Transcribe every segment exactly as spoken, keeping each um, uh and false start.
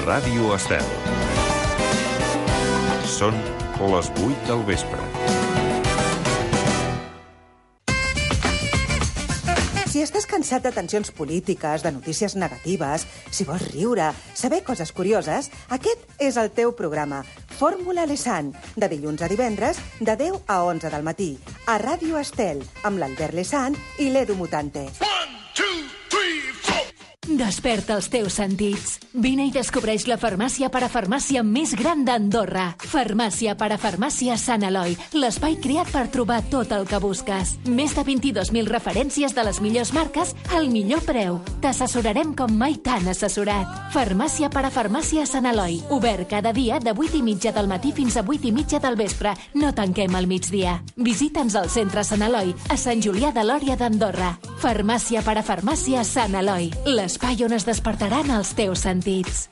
Ràdio Estel. Són les vuit del vespre. Si estàs cansat de tensions polítiques, de notícies negatives, si vols riure, saber coses curioses, aquest és el teu programa. Fórmula Lesan, de dilluns a divendres, de deu a onze del matí, a Ràdio Estel, amb l'Albert Lesan i l'Edu Mutante. Desperta els teus sentits. Vine i descobreix la farmàcia parafarmàcia més gran d'Andorra. Farmàcia parafarmàcia Sant Eloi, l'espai creat per trobar tot el que busques. Més de vint-i-dos mil referències de les millors marques al millor preu. T'assessorarem com mai t'han assessorat. Farmàcia parafarmàcia Sant Eloi, obert cada dia de vuit i mitja del matí fins a vuit i mitja del vespre. No tanquem al migdia. Visita'ns al centre Sant Eloi, a Sant Julià de Lòria d'Andorra. Farmàcia parafarmàcia Sant Eloi, l'espai on es despertaran els teus sentits.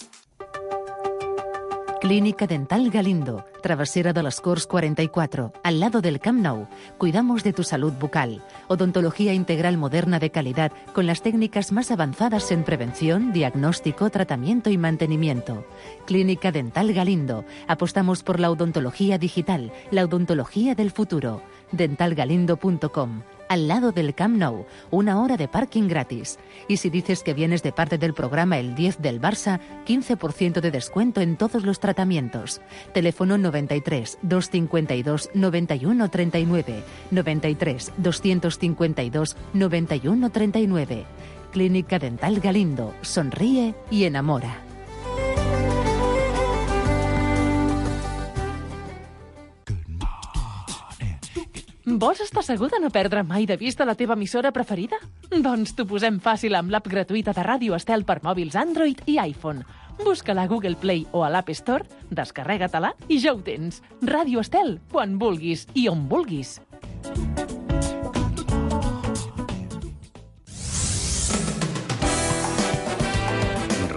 Clínica Dental Galindo, Travesera de las Corts cuarenta y cuatro, al lado del Camp Nou. Cuidamos de tu salud bucal. Odontología integral moderna de calidad con las técnicas más avanzadas en prevención, diagnóstico, tratamiento y mantenimiento. Clínica Dental Galindo. Apostamos por la odontología digital, la odontología del futuro. dental galindo punto com. Al lado del Camp Nou, una hora de parking gratis. Y si dices que vienes de parte del programa El diez del Barça, quince por ciento de descuento en todos los tratamientos. Teléfono noventa y tres, doscientos cincuenta y dos, noventa y uno treinta y nueve, noventa y tres, doscientos cincuenta y dos, noventa y uno treinta y nueve. Clínica Dental Galindo. Sonríe y enamora. Vols estar segur de no perdre mai de vista la teva emissora preferida? Doncs t'ho posem fàcil amb l'app gratuïta de Ràdio Estel per mòbils Android i iPhone. Busca-la a Google Play o a l'App Store, descarrega-te-la i ja ho tens. Ràdio Estel, quan vulguis i on vulguis.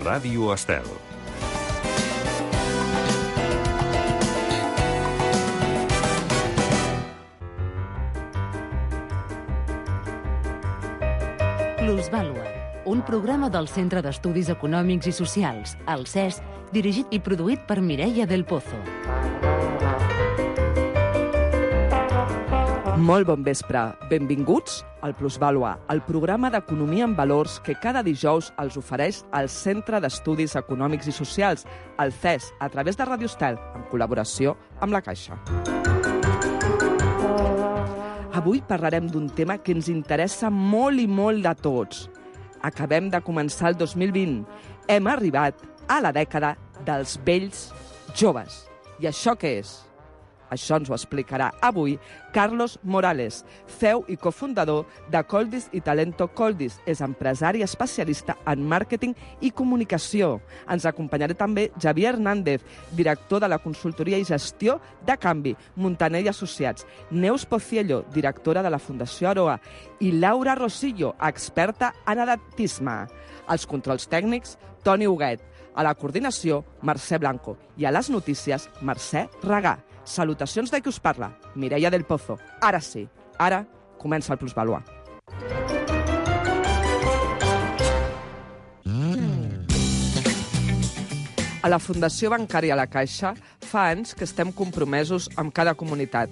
Ràdio Estel. Plusvàlua, un programa del Centre d'Estudis Econòmics i Socials, el C E S, dirigit i produït per Mireia del Pozo. Molt bon vespre. Benvinguts al Plusvàlua, el programa d'economia en valors que cada dijous els ofereix el Centre d'Estudis Econòmics i Socials, el C E S, a través de Ràdio Estel, en col·laboració amb la Caixa. Avui parlarem d'un tema que ens interessa molt i molt de tots. Acabem de començar el dos mil vint. Hem arribat a la dècada dels vells joves. I això què és? Això ens ho explicarà avui Carlos Morales, C E O i cofundador de Coldis i Talento Coldis. És empresari especialista en màrqueting i comunicació. Ens acompanyarà també Javier Hernández, director de la consultoria i gestió de Canvi, Montaner i Associats. Neus Pociello, directora de la Fundació Aroa. I Laura Rosillo, experta en edatisme. Als controls tècnics, Toni Huguet. A la coordinació, Mercè Blanco. I a les notícies, Mercè Regà. Salutacions de qui us parla, Mireia del Pozo. Ara sí, ara comença el Plusvàlua. A la Fundació Bancària La Caixa fa anys que estem compromesos amb cada comunitat,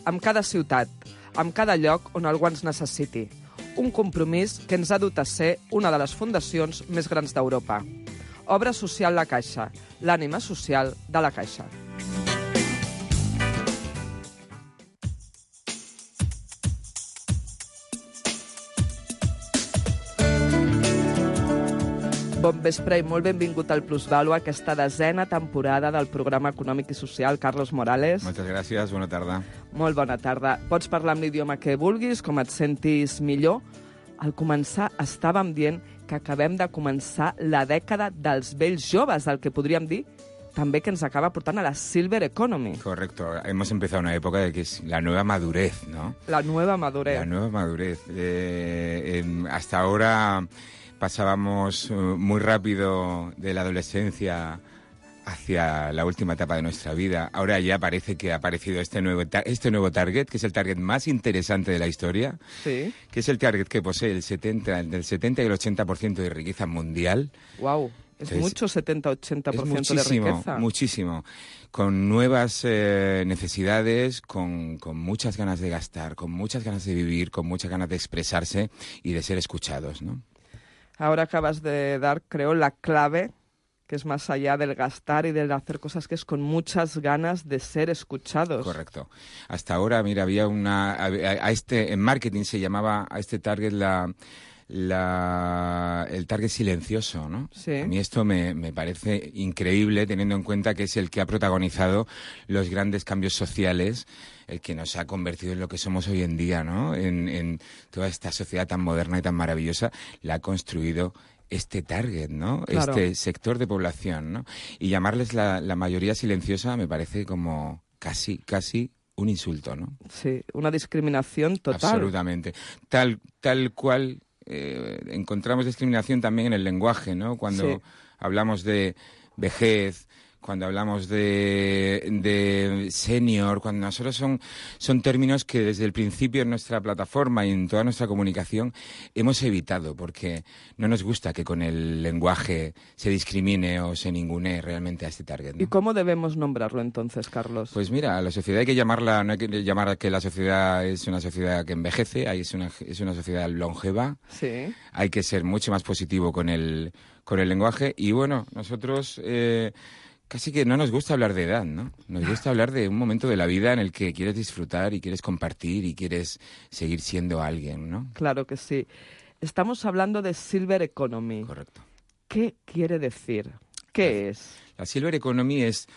amb cada ciutat, amb cada lloc on algú ens necessiti. Un compromís que ens ha dut a ser una de les fundacions més grans d'Europa. Obra Social La Caixa, l'ànima social de la Caixa. Bon vespre i molt benvingut al Plusvàlua, aquesta desena temporada del programa econòmic i social. Carlos Morales. Moltes gràcies, bona tarda. Molt bona tarda. Pots parlar amb l'idioma que vulguis, com et sentis millor. Al començar estàvem dient que acabem de començar la dècada dels vells joves, el que podríem dir també que ens acaba portant a la Silver Economy. Correcto. Hemos empezado una época de que es la nueva madurez, ¿no? La nueva madurez. La nueva madurez. Eh, eh, hasta ahora pasábamos muy rápido de la adolescencia hacia la última etapa de nuestra vida. Ahora ya parece que ha aparecido este nuevo, este nuevo target, que es el target más interesante de la historia, sí, que es el target que posee el setenta, del setenta y el ochenta por ciento de riqueza mundial. Wow. Es Entonces, mucho, setenta ochenta por ciento es muchísimo, de riqueza. muchísimo. Con nuevas eh, necesidades, con, con muchas ganas de gastar, con muchas ganas de vivir, con muchas ganas de expresarse y de ser escuchados, ¿no? Ahora acabas de dar, creo, la clave, que es más allá del gastar y del hacer cosas, que es con muchas ganas de ser escuchados. Correcto. Hasta ahora, mira, había una... A, a este, en marketing se llamaba a este target la... La, el target silencioso, ¿no? Sí. A mí esto me, me parece increíble, teniendo en cuenta que es el que ha protagonizado los grandes cambios sociales, el que nos ha convertido en lo que somos hoy en día, ¿no? En, en toda esta sociedad tan moderna y tan maravillosa, la ha construido este target, ¿no? Claro. Este sector de población, ¿no? Y llamarles la, la mayoría silenciosa me parece como casi, casi un insulto, ¿no? Sí, una discriminación total. Absolutamente. Tal, tal cual... Eh, encontramos discriminación también en el lenguaje, ¿no? Cuando Sí. hablamos de vejez, cuando hablamos de, de senior, cuando nosotros son, son términos que desde el principio en nuestra plataforma y en toda nuestra comunicación hemos evitado, porque no nos gusta que con el lenguaje se discrimine o se ningunee realmente a este target, ¿no? ¿Y cómo debemos nombrarlo entonces, Carlos? Pues mira, a la sociedad hay que llamarla, no hay que llamar a que la sociedad es una sociedad que envejece, ahí es una, es una sociedad longeva. Sí. Hay que ser mucho más positivo con el, con el lenguaje y bueno, nosotros eh, casi que no nos gusta hablar de edad, ¿no? Nos gusta hablar de un momento de la vida en el que quieres disfrutar y quieres compartir y quieres seguir siendo alguien, ¿no? Claro que sí. Estamos hablando de Silver Economy. Correcto. ¿Qué quiere decir? ¿Qué es? La Silver Economy es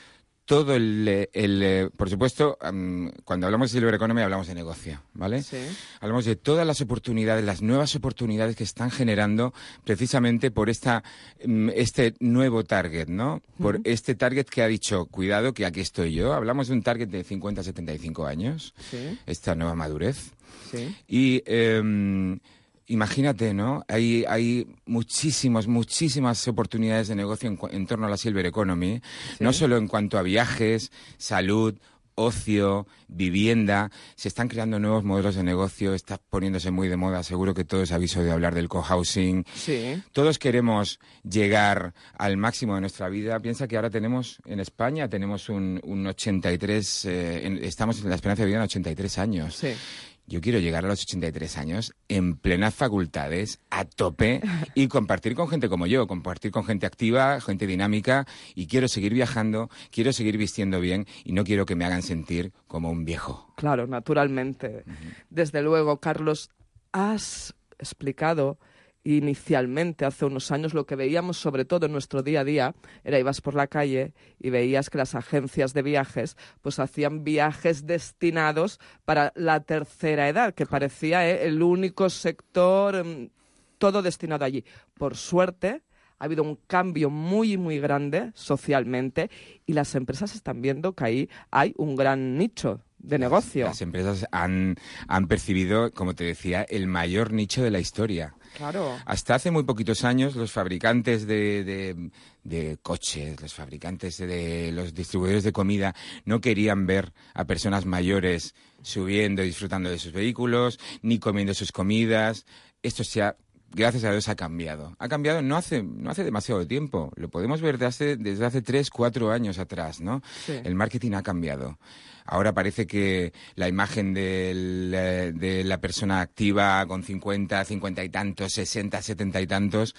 todo el... el, el por supuesto, um, cuando hablamos de Silver Economy hablamos de negocio, ¿vale? Sí. Hablamos de todas las oportunidades, las nuevas oportunidades que están generando precisamente por esta um, este nuevo target, ¿no? Por uh-huh. este target que ha dicho, cuidado, que aquí estoy yo. Hablamos de un target de cincuenta a setenta y cinco años, Sí. esta nueva madurez. Sí. Y... Um, imagínate, ¿no? Hay, hay muchísimas, muchísimas oportunidades de negocio en, en torno a la Silver Economy, Sí. no solo en cuanto a viajes, salud, ocio, vivienda. Se están creando nuevos modelos de negocio, está poniéndose muy de moda. Seguro que todos habéis oído hablar del cohousing. Sí. Todos queremos llegar al máximo de nuestra vida. Piensa que ahora tenemos, en España, tenemos un, un ochenta y tres, eh, en, estamos en la esperanza de vida en ochenta y tres años. Sí. Yo quiero llegar a los ochenta y tres años en plenas facultades, a tope, y compartir con gente como yo, compartir con gente activa, gente dinámica, y quiero seguir viajando, quiero seguir vistiendo bien, y no quiero que me hagan sentir como un viejo. Claro, naturalmente. Uh-huh. Desde luego, Carlos, has explicado inicialmente, hace unos años, lo que veíamos sobre todo en nuestro día a día, era ibas por la calle y veías que las agencias de viajes pues hacían viajes destinados para la tercera edad, que parecía eh, el único sector, eh, todo destinado allí. Por suerte, ha habido un cambio muy, muy grande socialmente y las empresas están viendo que ahí hay un gran nicho de negocio. Las, las empresas han, han percibido, como te decía, el mayor nicho de la historia. Claro. Hasta hace muy poquitos años los fabricantes de, de, de coches, los fabricantes de, de los distribuidores de comida no querían ver a personas mayores subiendo y disfrutando de sus vehículos, ni comiendo sus comidas. Esto se ha, gracias a Dios, ha cambiado. Ha cambiado no hace, no hace demasiado tiempo. Lo podemos ver desde hace, desde hace tres, cuatro años atrás, ¿no? Sí. El marketing ha cambiado. Ahora parece que la imagen del, de la persona activa con cincuenta, cincuenta y tantos, sesenta, setenta y tantos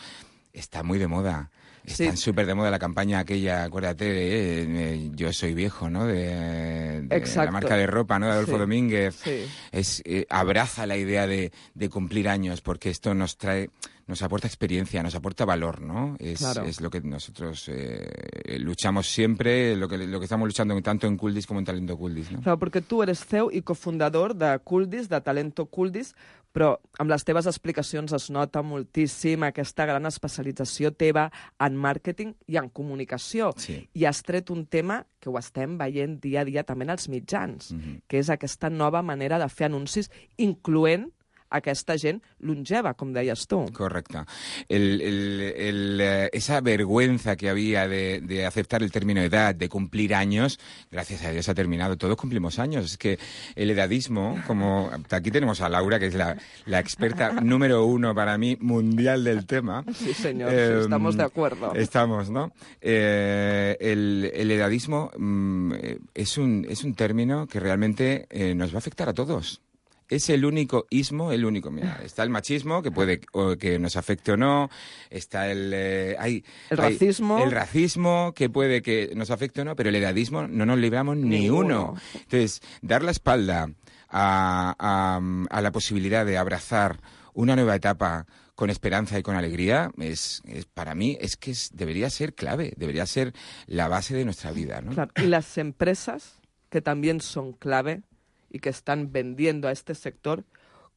está muy de moda. Están súper de moda la campaña aquella, acuérdate, de, eh, Yo soy viejo, ¿no? De, de la marca de ropa, ¿no? De Adolfo Sí. Domínguez. Sí. Es, eh, abraza la idea de, de cumplir años porque esto nos trae... Nos aporta experiencia, nos aporta valor, ¿no? Es, Claro. es lo que nosotros eh, luchamos siempre, lo que, lo que estamos luchando tanto en Culdis como en Talento Culdis, no? Clar, perquè tu eres C E O i cofundador de Culdis, de Talento Culdis, però amb les teves explicacions es nota moltíssim aquesta gran especialització teva en màrqueting i en comunicació. Sí. I has tret un tema que ho estem veient dia a dia també en els mitjans, Mm-hmm. que és aquesta nova manera de fer anuncis, incloent aquesta gent longeva, com deies tu. Correcto. El, el, el, eh, esa vergüenza que había de, de aceptar el término de edad, de cumplir años, gracias a Dios ha terminado. Todos cumplimos años. Es que el edadismo, como aquí tenemos a Laura, que es la, la experta número uno para mí mundial del tema. Sí, señor, eh, sí, estamos de acuerdo. Estamos, ¿no? Eh, el, el edadismo mm, es, un, es un término que realmente eh, nos va a afectar a todos. Es el único ismo, el único. Mira, está el machismo, que puede o que nos afecte o no. Está el... Eh, hay, el hay, racismo. El racismo, que puede que nos afecte o no, pero el edadismo no nos libramos ni, ni uno. uno. Entonces, dar la espalda a, a, a la posibilidad de abrazar una nueva etapa con esperanza y con alegría, es, es para mí es que es, debería ser clave, debería ser la base de nuestra vida, ¿no? Claro. Y las empresas, que también son clave y que están vendiendo a este sector,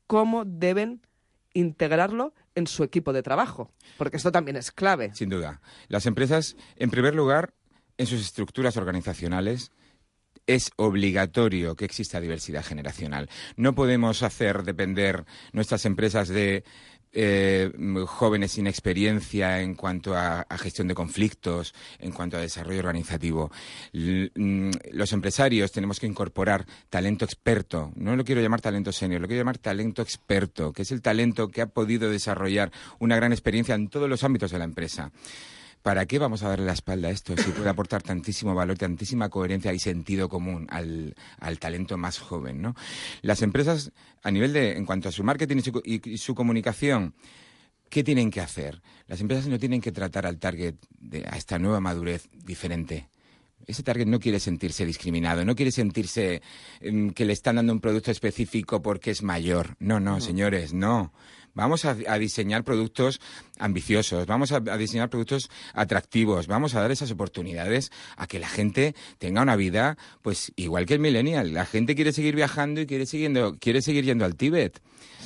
¿cómo deben integrarlo en su equipo de trabajo? Porque esto también es clave. Sin duda. Las empresas, en primer lugar, en sus estructuras organizacionales, es obligatorio que exista diversidad generacional. No podemos hacer depender nuestras empresas de eh, jóvenes sin experiencia en cuanto a, a gestión de conflictos, en cuanto a desarrollo organizativo. L- los empresarios tenemos que incorporar talento experto. No lo quiero llamar talento senior, lo quiero llamar talento experto, que es el talento que ha podido desarrollar una gran experiencia en todos los ámbitos de la empresa. ¿Para qué vamos a darle la espalda a esto si puede aportar tantísimo valor, tantísima coherencia y sentido común al, al talento más joven, ¿no? Las empresas, a nivel de, en cuanto a su marketing y su, y, y su comunicación, ¿qué tienen que hacer? Las empresas no tienen que tratar al target, de, a esta nueva madurez diferente. Ese target no quiere sentirse discriminado, no quiere sentirse um, que le están dando un producto específico porque es mayor. No, no, no. Señores, no. Vamos a, a diseñar productos ambiciosos, vamos a, a diseñar productos atractivos, vamos a dar esas oportunidades a que la gente tenga una vida, pues igual que el millennial. La gente quiere seguir viajando y quiere, siguiendo, quiere seguir yendo al Tíbet.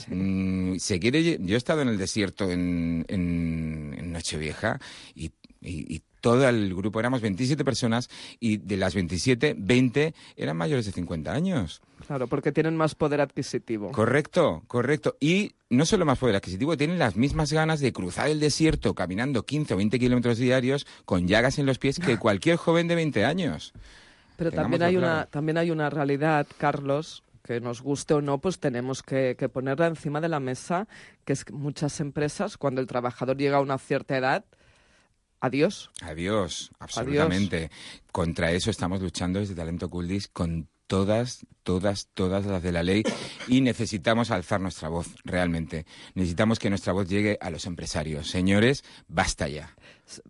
Sí. Mm, se quiere, yo he estado en el desierto en, en, en Nochevieja y, y, y todo el grupo, éramos veintisiete personas y de las veintisiete, veinte eran mayores de cincuenta años. Claro, porque tienen más poder adquisitivo. Correcto, correcto. Y no solo más poder adquisitivo, tienen las mismas ganas de cruzar el desierto caminando quince o veinte kilómetros diarios con llagas en los pies que cualquier joven de veinte años. Pero también hay, una, también hay una realidad, Carlos, que nos guste o no, pues tenemos que, que ponerla encima de la mesa, que es que muchas empresas, cuando el trabajador llega a una cierta edad, adiós. Adiós, absolutamente. Adiós. Contra eso estamos luchando desde Talento Culdis con todas, todas, todas las de la ley y necesitamos alzar nuestra voz, realmente. Necesitamos que nuestra voz llegue a los empresarios. Señores, basta ya.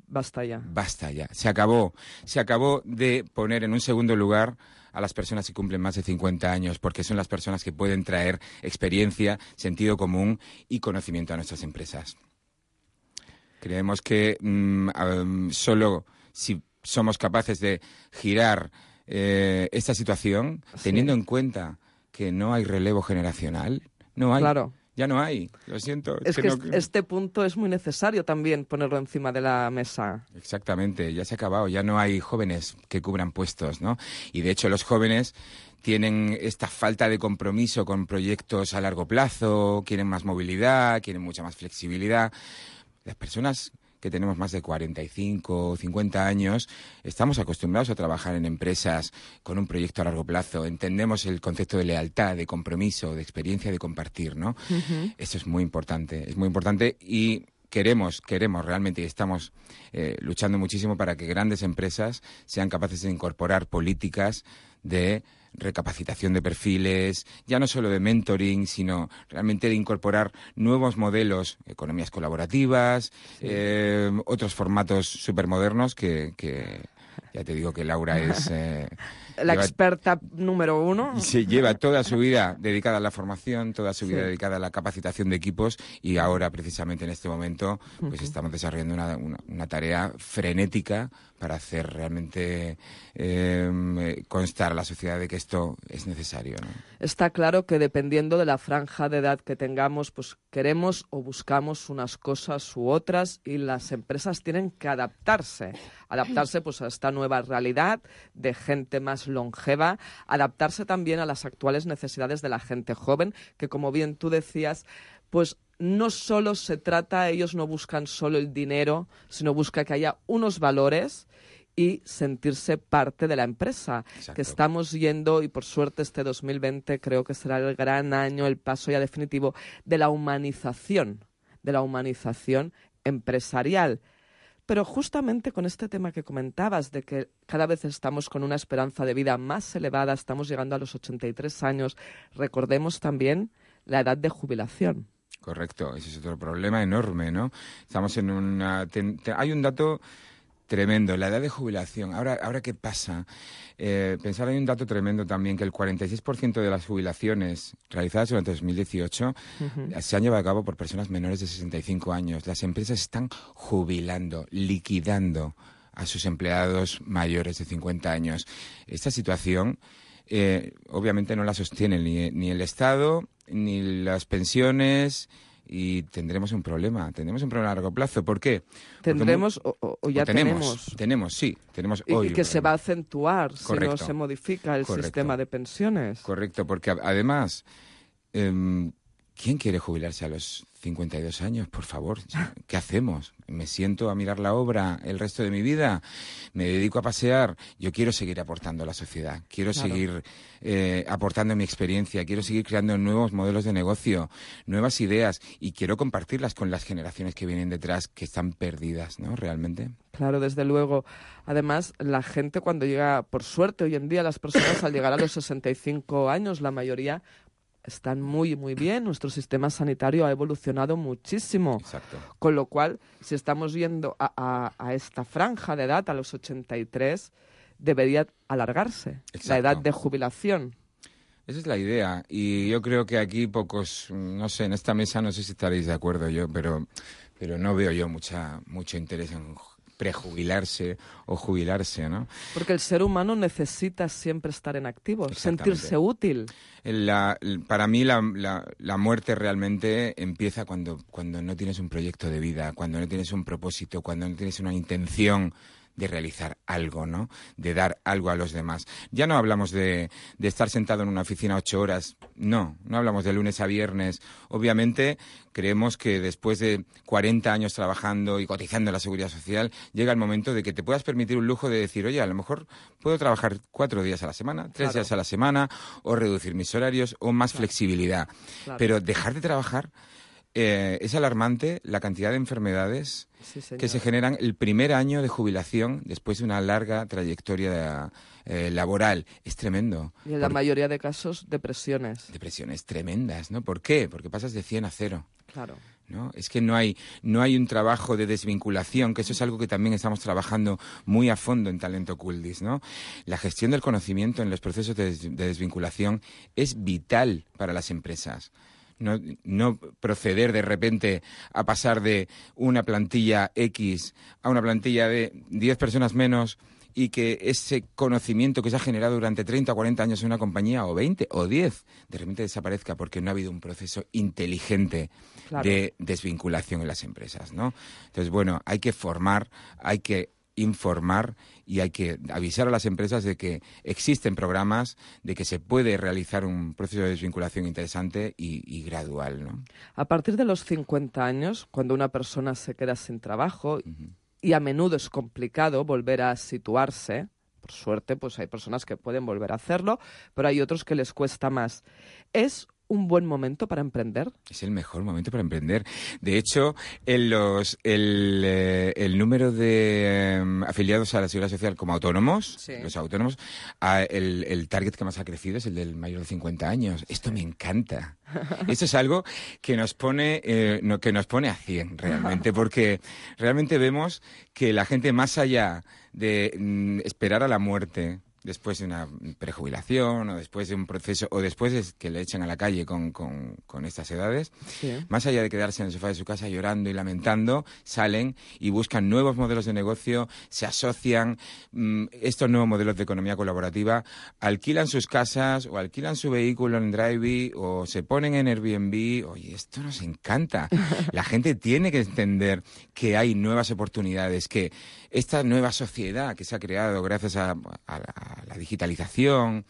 Basta ya. Basta ya. Se acabó. Se acabó de poner en un segundo lugar a las personas que cumplen más de cincuenta años, porque son las personas que pueden traer experiencia, sentido común y conocimiento a nuestras empresas. Creemos que um, um, solo si somos capaces de girar eh, esta situación, sí. teniendo en cuenta que no hay relevo generacional, no hay. Claro. Ya no hay, lo siento. Es que, que no... este punto es muy necesario también ponerlo encima de la mesa. Exactamente, ya se ha acabado, ya no hay jóvenes que cubran puestos, ¿no? Y de hecho los jóvenes tienen esta falta de compromiso con proyectos a largo plazo, quieren más movilidad, quieren mucha más flexibilidad. Las personas que tenemos más de cuarenta y cinco o cincuenta años, estamos acostumbrados a trabajar en empresas con un proyecto a largo plazo. Entendemos el concepto de lealtad, de compromiso, de experiencia, de compartir, ¿no? Uh-huh. Eso es muy importante, es muy importante y queremos, queremos realmente y estamos eh, luchando muchísimo para que grandes empresas sean capaces de incorporar políticas de recapacitación de perfiles, ya no solo de mentoring, sino realmente de incorporar nuevos modelos, economías colaborativas, sí. eh, otros formatos supermodernos que, que ya te digo que Laura es... Eh, la lleva, experta número uno. Sí, lleva toda su vida dedicada a la formación, toda su vida sí. dedicada a la capacitación de equipos y ahora, precisamente en este momento, pues uh-huh. estamos desarrollando una, una, una tarea frenética para hacer realmente eh, constar a la sociedad de que esto es necesario, ¿no? Está claro que dependiendo de la franja de edad que tengamos, pues queremos o buscamos unas cosas u otras y las empresas tienen que adaptarse, adaptarse pues a esta nueva nueva realidad de gente más longeva, adaptarse también a las actuales necesidades de la gente joven, que como bien tú decías, pues no solo se trata, ellos no buscan solo el dinero, sino busca que haya unos valores y sentirse parte de la empresa. Exacto. Que estamos yendo, y por suerte este dos mil veinte creo que será el gran año, el paso ya definitivo de la humanización, de la humanización empresarial. Pero justamente con este tema que comentabas, de que cada vez estamos con una esperanza de vida más elevada, estamos llegando a los ochenta y tres años, recordemos también la edad de jubilación. Correcto, ese es otro problema enorme, ¿no? Estamos en una... Ten, te, hay un dato tremendo, la edad de jubilación. Ahora, ahora ¿qué pasa? Eh, pensar, hay un dato tremendo también, que el cuarenta y seis por ciento de las jubilaciones realizadas durante dos mil dieciocho uh-huh. se han llevado a cabo por personas menores de sesenta y cinco años. Las empresas están jubilando, liquidando a sus empleados mayores de cincuenta años. Esta situación... Eh, obviamente no la sostiene ni, ni el Estado, ni las pensiones, y tendremos un problema, tendremos un problema a largo plazo. ¿Por qué? Tendremos muy, o, o ya o tenemos, tenemos. Tenemos, sí, tenemos y, hoy. Y que se va a acentuar Correcto. si no se modifica el Correcto. sistema de pensiones. Correcto, porque además, eh, ¿quién quiere jubilarse a los cincuenta y dos años? Por favor, ¿qué hacemos? ¿Me siento a mirar la obra el resto de mi vida? ¿Me dedico a pasear? Yo quiero seguir aportando a la sociedad, quiero claro. seguir eh, aportando mi experiencia, quiero seguir creando nuevos modelos de negocio, nuevas ideas, y quiero compartirlas con las generaciones que vienen detrás, que están perdidas, ¿no? Realmente. Claro, desde luego. Además, la gente cuando llega, por suerte, hoy en día las personas al llegar a los sesenta y cinco años, la mayoría están muy, muy bien. Nuestro sistema sanitario ha evolucionado muchísimo. Exacto. Con lo cual, si estamos yendo a, a, a esta franja de edad, a los ochenta y tres, debería alargarse. Exacto. La edad de jubilación. Esa es la idea. Y yo creo que aquí pocos, no sé, en esta mesa no sé si estaréis de acuerdo yo, pero, pero no veo yo mucha, mucho interés en prejubilarse o jubilarse, ¿no? Porque el ser humano necesita siempre estar en activo, sentirse útil. La, para mí la, la, la muerte realmente empieza cuando, cuando no tienes un proyecto de vida, cuando no tienes un propósito, cuando no tienes una intención de realizar algo, ¿no? De dar algo a los demás. Ya no hablamos de, de estar sentado en una oficina ocho horas, no, no hablamos de lunes a viernes. Obviamente creemos que después de cuarenta años trabajando y cotizando en la Seguridad Social, llega el momento de que te puedas permitir un lujo de decir, oye, a lo mejor puedo trabajar cuatro días a la semana, tres claro. días a la semana, o reducir mis horarios, o más claro. flexibilidad. Claro. Pero dejar de trabajar... Eh, es alarmante la cantidad de enfermedades sí, que se generan el primer año de jubilación después de una larga trayectoria eh, laboral. Es tremendo. Y en la Por... mayoría de casos, depresiones. Depresiones tremendas, ¿no? ¿Por qué? Porque pasas de cien a cero. Claro. ¿No? Es que no hay, no hay un trabajo de desvinculación, que eso es algo que también estamos trabajando muy a fondo en Talento Culdis, ¿no? La gestión del conocimiento en los procesos de, des- de desvinculación es vital para las empresas. No, no proceder de repente a pasar de una plantilla X a una plantilla de diez personas menos, y que ese conocimiento que se ha generado durante treinta o cuarenta años en una compañía, o veinte o diez, de repente desaparezca porque no ha habido un proceso inteligente claro. de desvinculación en las empresas, ¿no? Entonces, bueno, hay que formar, hay que informar y hay que avisar a las empresas de que existen programas, de que se puede realizar un proceso de desvinculación interesante y, y gradual, ¿no? A partir de los cincuenta años, cuando una persona se queda sin trabajo, uh-huh. y a menudo es complicado volver a situarse, por suerte, pues hay personas que pueden volver a hacerlo, pero hay otros que les cuesta más. ¿Es un buen momento para emprender? Es el mejor momento para emprender. De hecho, en los, el, eh, el número de eh, afiliados a la Seguridad Social como autónomos, sí. los autónomos, a, el, el target que más ha crecido es el del mayor de cincuenta años. Esto me encanta. Esto es algo que nos pone, eh, no, que nos pone a cien realmente, porque realmente vemos que la gente, más allá de mm, esperar a la muerte después de una prejubilación o después de un proceso o después de que le echen a la calle con, con, con estas edades, sí. más allá de quedarse en el sofá de su casa llorando y lamentando, salen y buscan nuevos modelos de negocio, se asocian, mmm, estos nuevos modelos de economía colaborativa, alquilan sus casas o alquilan su vehículo en Drivey o se ponen en Airbnb. Oye, esto nos encanta. La gente tiene que entender que hay nuevas oportunidades, que esta nueva sociedad que se ha creado gracias a, a, a la digitalización,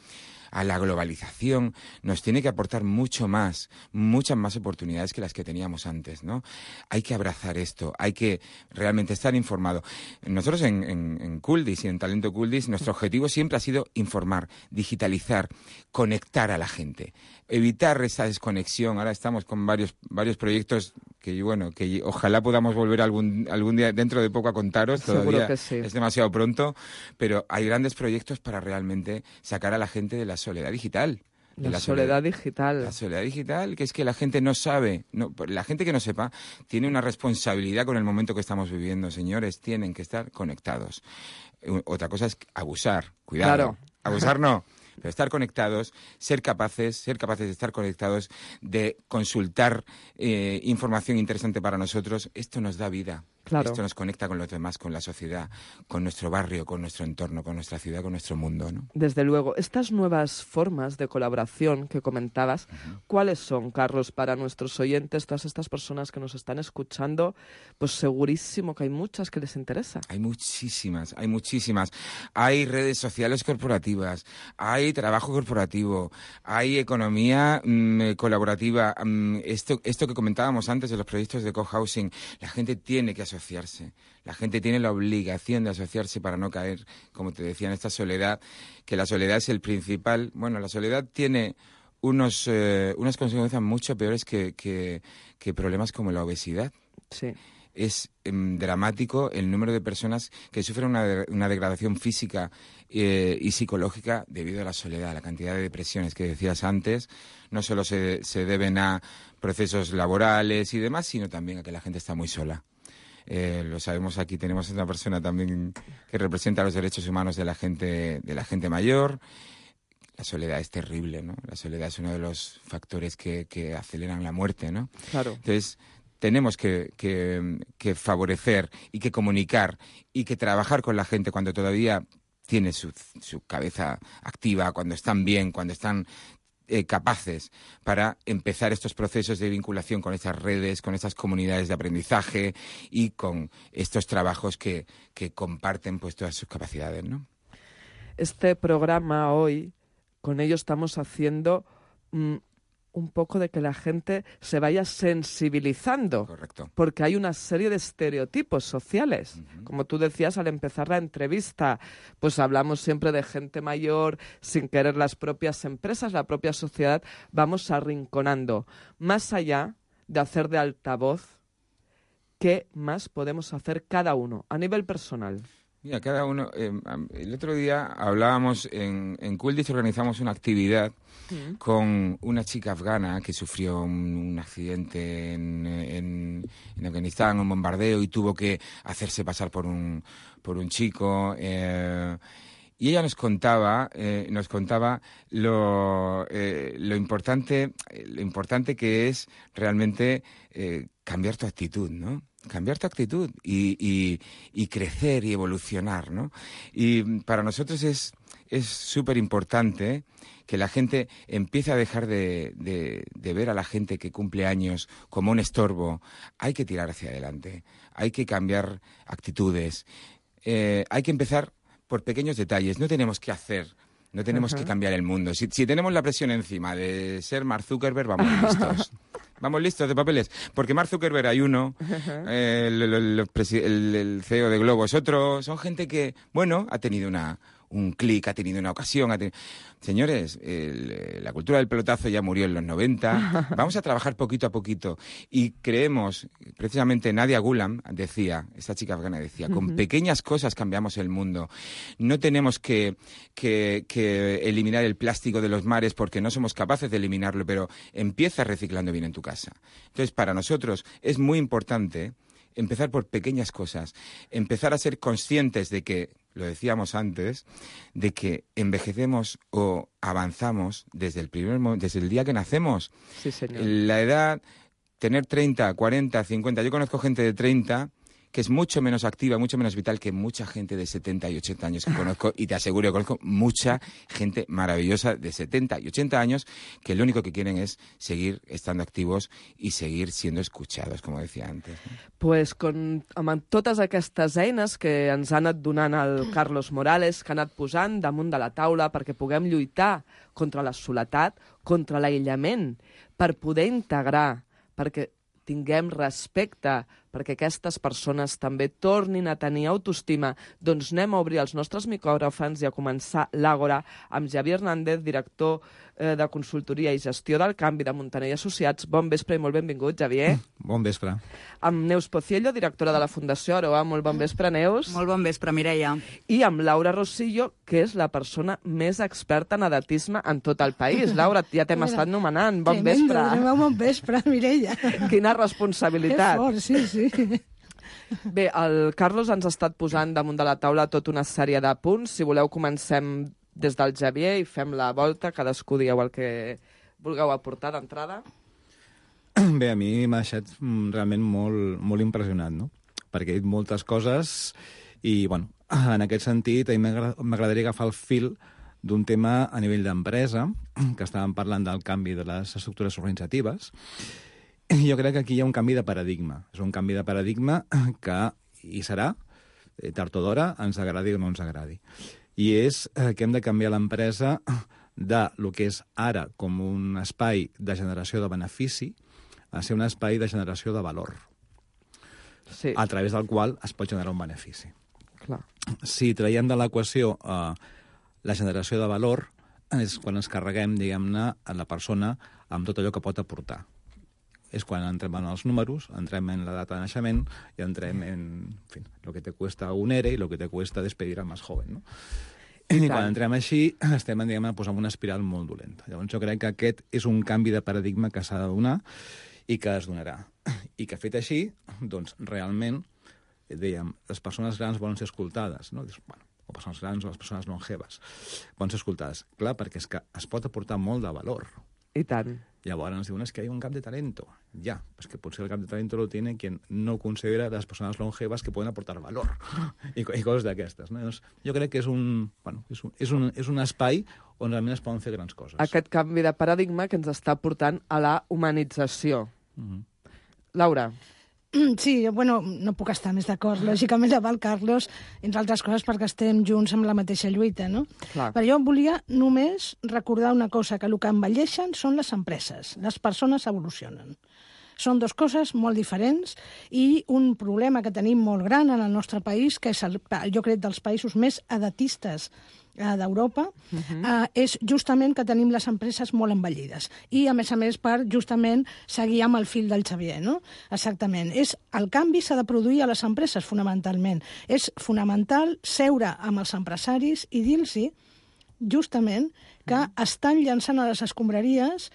a la globalización, nos tiene que aportar mucho más, muchas más oportunidades que las que teníamos antes, ¿no? Hay que abrazar esto, hay que realmente estar informado. Nosotros en, en, en Kuldis y en Talento Kuldis, nuestro objetivo siempre ha sido informar, digitalizar, conectar a la gente, evitar esa desconexión. Ahora estamos con varios varios proyectos que, bueno, que ojalá podamos volver algún algún día dentro de poco a contaros. Todavía Seguro que sí. Es demasiado pronto, pero hay grandes proyectos para realmente sacar a la gente de la soledad digital. De la, la soledad, soledad digital. La soledad digital, que es que la gente no sabe, no, la gente que no sepa tiene una responsabilidad con el momento que estamos viviendo, señores, tienen que estar conectados. Otra cosa es abusar, cuidado. Claro. Abusar no. Pero estar conectados, ser capaces, ser capaces de estar conectados, de consultar eh, información interesante para nosotros, esto nos da vida. Claro. Esto nos conecta con los demás, con la sociedad, con nuestro barrio, con nuestro entorno, con nuestra ciudad, con nuestro mundo, ¿no? Desde luego. Estas nuevas formas de colaboración que comentabas, uh-huh. ¿cuáles son, Carlos, para nuestros oyentes, todas estas personas que nos están escuchando? Pues segurísimo que hay muchas que les interesa. Hay muchísimas, hay muchísimas. Hay redes sociales corporativas, hay trabajo corporativo, hay economía mmm, colaborativa. Mmm, esto, esto que comentábamos antes de los proyectos de cohousing, la gente tiene que asociarse. La gente tiene la obligación de asociarse para no caer, como te decía, en esta soledad, que la soledad es el principal. Bueno, la soledad tiene unos eh, unas consecuencias mucho peores que, que, que problemas como la obesidad. Sí. Es eh, dramático el número de personas que sufren una, de, una degradación física eh, y psicológica debido a la soledad. La cantidad de depresiones que decías antes no solo se, se deben a procesos laborales y demás, sino también a que la gente está muy sola. Eh, lo sabemos, aquí tenemos una persona también que representa los derechos humanos de la gente, de la gente mayor. La soledad es terrible, ¿no? La soledad es uno de los factores que, que aceleran la muerte, ¿no? Claro. Entonces, tenemos que, que, que favorecer y que comunicar y que trabajar con la gente cuando todavía tiene su, su cabeza activa, cuando están bien, cuando están Eh, capaces para empezar estos procesos de vinculación con estas redes, con estas comunidades de aprendizaje y con estos trabajos que, que comparten pues todas sus capacidades, ¿no? Este programa hoy, con ello estamos haciendo mm, un poco de que la gente se vaya sensibilizando. Correcto. Porque hay una serie de estereotipos sociales. Uh-huh. Como tú decías al empezar la entrevista, pues hablamos siempre de gente mayor, sin querer las propias empresas, la propia sociedad, vamos arrinconando. Más allá de hacer de altavoz, ¿qué más podemos hacer cada uno a nivel personal? Mira, cada uno... Eh, el otro día hablábamos en, en Kuldis, organizamos una actividad mm. con una chica afgana que sufrió un, un accidente en, en, en Afganistán, un bombardeo, y tuvo que hacerse pasar por un, por un chico. Eh, y ella nos contaba, eh, nos contaba lo, eh, lo importante, lo importante que es realmente eh, cambiar tu actitud, ¿no? Cambiar tu actitud y, y, y crecer y evolucionar, ¿no? Y para nosotros es es súper importante que la gente empiece a dejar de, de, de ver a la gente que cumple años como un estorbo. Hay que tirar hacia adelante, hay que cambiar actitudes, eh, hay que empezar por pequeños detalles. No tenemos que hacer... No tenemos uh-huh. que cambiar el mundo. Si, si tenemos la presión encima de ser Mark Zuckerberg, vamos listos. Vamos listos de papeles. Porque Mark Zuckerberg hay uno, uh-huh. eh, el, el, el, el C E O de Globo es otro. Son gente que, bueno, ha tenido una, un clic, ha tenido una ocasión. Ha tenido... Señores, el, la cultura del pelotazo ya murió en los noventa. Vamos a trabajar poquito a poquito. Y creemos, precisamente Nadia Gulam decía, esta chica afgana decía, uh-huh. con pequeñas cosas cambiamos el mundo. No tenemos que, que, que eliminar el plástico de los mares porque no somos capaces de eliminarlo, pero empieza reciclando bien en tu casa. Entonces, para nosotros es muy importante empezar por pequeñas cosas, empezar a ser conscientes de que lo decíamos antes, de que envejecemos o avanzamos desde el primer momento, desde el día que nacemos. Sí, señor. La edad, tener treinta, cuarenta, cincuenta, yo conozco gente de treinta que es mucho menos activa, mucho menos vital que mucha gente de setenta y ochenta años que conozco, y te aseguro que conozco mucha gente maravillosa de setenta y ochenta años que lo único que quieren es seguir estando activos i seguir siendo escuchados, com decía antes. Pues con, amb totes aquestes eines que ens ha anat donant el Carlos Morales, que ha anat posant damunt de la taula perquè puguem lluitar contra la soledat, contra l'aïllament, per poder integrar, perquè tinguem respecte, perquè aquestes persones també tornin a tenir autoestima, doncs anem a obrir els nostres micròfons i a començar l'Àgora amb Javier Hernández, director eh, de consultoria i gestió del canvi de Montaner i Associats. Bon vespre i molt benvingut, Javier. Bon vespre. Amb Neus Pociello, directora de la Fundació Aroa. Molt bon vespre, Neus. Molt bon vespre, Mireia. I amb Laura Rosillo, que és la persona més experta en edatisme en tot el país. Laura, ja t'hem estat nomenant. Bon Tremendo, vespre. Tremendo, bon vespre, Mireia. Quina responsabilitat. Que fort, sí, sí. Bé, el Carlos ens ha estat posant damunt de la taula tota una sèrie de punts. Si voleu, comencem des del Javier i fem la volta. Cadascú digueu el que vulgueu aportar d'entrada. Bé, a mi m'ha deixat mm, realment molt, molt impressionat, no? Perquè he dit moltes coses i, bueno, en aquest sentit, a mi m'agradaria agafar el fil d'un tema a nivell d'empresa, que estàvem parlant del canvi de les estructures organitzatives. Jo crec que aquí hi ha un canvi de paradigma. És un canvi de paradigma que hi serà, tard o d'hora, ens agradi o no ens agradi. I és que hem de canviar l'empresa de lo que és ara com un espai de generació de benefici a ser un espai de generació de valor, sí, a través del qual es pot generar un benefici. Clar. Si traiem de l'equació eh, la generació de valor, és quan ens carreguem, diguem-ne, a la persona amb tot allò que pot aportar. És quan entrem en els números, entrem en la data de naixement i entrem en, en fin, lo que te cuesta un E R E i lo que te cuesta despedir al més joven, no? I, I quan entrem així, estem, diguem-ne, pues, en una espiral molt dolenta. Llavors jo crec que aquest és un canvi de paradigma que s'ha de donar i que es donarà. I que fet així, doncs, realment, dèiem, les persones grans volen ser escoltades, no? Dius, bueno, o persones grans o les persones longeves volen ser escoltades. Clar, perquè és que es pot aportar molt de valor. I tant. Llavors ens diuen, es que hay un gap de talento. Ya, pues que potser el gap de talento lo tiene quien no considera las personas longevas que pueden aportar valor. I, i coses d'aquestes. No? Llavors, jo crec que és un, bueno, és, un, és, un, és un espai on realment es poden fer grans coses. Aquest canvi de paradigma que ens està portant a la humanització. Mm-hmm. Laura. Sí, bueno, no puc estar més d'acord, lògicament, amb el Carlos, entre altres coses perquè estem junts amb la mateixa lluita, no? Clar. Però jo volia només recordar una cosa, que el que envelleixen són les empreses, les persones evolucionen. Són dues coses molt diferents i un problema que tenim molt gran en el nostre país, que és, el, jo crec, dels països més edatistes d'Europa, uh-huh. uh, és justament que tenim les empreses molt envellides. I, a més a més, per justament seguir amb el fil del Xavier, no? Exactament. És, el canvi s'ha de produir a les empreses, fonamentalment. És fonamental seure amb els empresaris i dir-los justament que uh-huh. estan llançant a les escombraries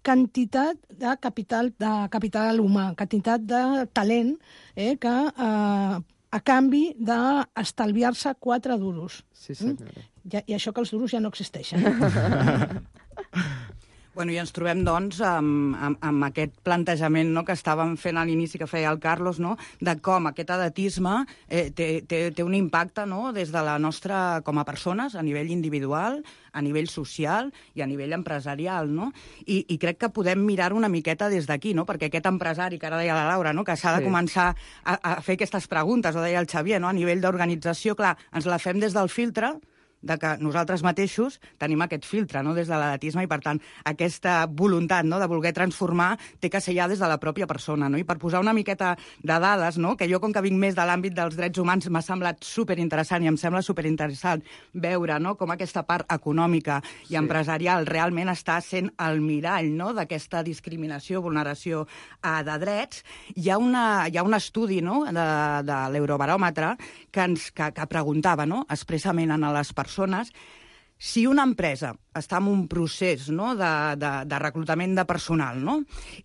quantitat de capital, de capital humà, quantitat de talent, eh, que eh, a canvi d'estalviar-se quatre duros. Sí, senyora. Mm? I, I això que els duros ja no existeixen. Bueno, i ens trobem, doncs, amb, amb, amb aquest plantejament, no?, que estàvem fent a l'inici, que feia el Carlos, no?, de com aquest edatisme eh, té, té, té un impacte, no?, des de la nostra, com a persones, a nivell individual, a nivell social i a nivell empresarial, no? I, i crec que podem mirar una miqueta des d'aquí, no?, perquè aquest empresari, que ara deia la Laura, no?, que s'ha de sí. començar a, a fer aquestes preguntes, o deia el Xavier, no?, a nivell d'organització, clar, ens la fem des del filtre de que nosaltres mateixos tenim aquest filtre, no?, des de l'edatisme, i per tant aquesta voluntat, no?, de voler transformar té que ser ja des de la pròpia persona, no? I per posar una miqueta de dades, no?, que jo com que vinc més de l'àmbit dels drets humans m'ha semblat superinteressant i em sembla superinteressant veure, no?, com aquesta part econòmica i sí. empresarial realment està sent el mirall, no?, d'aquesta discriminació, vulneració eh, de drets. Hi ha, una, hi ha un estudi, no?, de, de l'Eurobaròmetre que, ens, que, que preguntava, no?, expressament a les persones persones, si una empresa està en un procés, no?, de, de, de reclutament de personal, no?,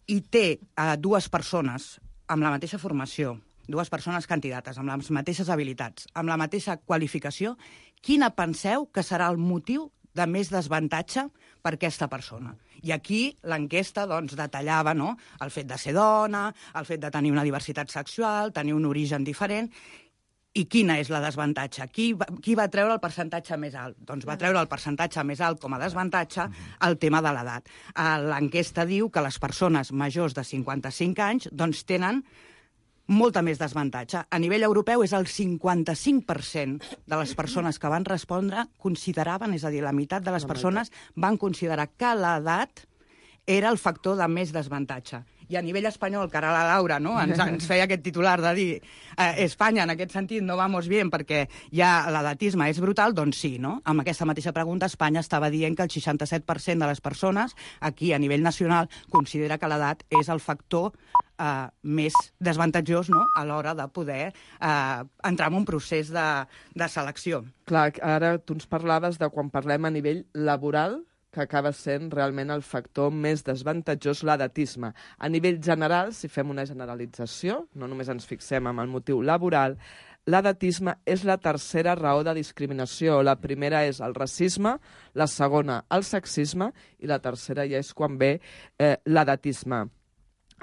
i té eh, dues persones amb la mateixa formació, dues persones candidates amb les mateixes habilitats, amb la mateixa qualificació, quina penseu que serà el motiu de més desavantatge per aquesta persona? I aquí l'enquesta doncs, detallava, no?, el fet de ser dona, el fet de tenir una diversitat sexual, tenir un origen diferent. I quina és la desavantatge? Qui va, qui va treure el percentatge més alt? Doncs va treure el percentatge més alt com a desavantatge el tema de l'edat. L'enquesta diu que les persones majors de cinquanta-cinc anys doncs, tenen molta més desavantatge. A nivell europeu és el cinquanta-cinc per cent de les persones que van respondre consideraven, és a dir, la meitat de les persones van considerar que l'edat era el factor de més desavantatge. I a nivell espanyol, que ara la Laura no, ens, ens feia aquest titular de dir eh, Espanya, en aquest sentit, no vamos bien perquè ja l'edatisme és brutal, doncs sí, no? Amb aquesta mateixa pregunta, Espanya estava dient que el seixanta-set per cent de les persones aquí, a nivell nacional, considera que l'edat és el factor eh, més desavantatjós, no?, a l'hora de poder eh, entrar en un procés de, de selecció. Clar, ara tu ens parlaves de quan parlem a nivell laboral, que acaba sent realment el factor més desavantatjós, l'edatisme. A nivell general, si fem una generalització, no només ens fixem en el motiu laboral, l'edatisme és la tercera raó de discriminació. La primera és el racisme, la segona el sexisme i la tercera ja és quan ve eh, l'edatisme.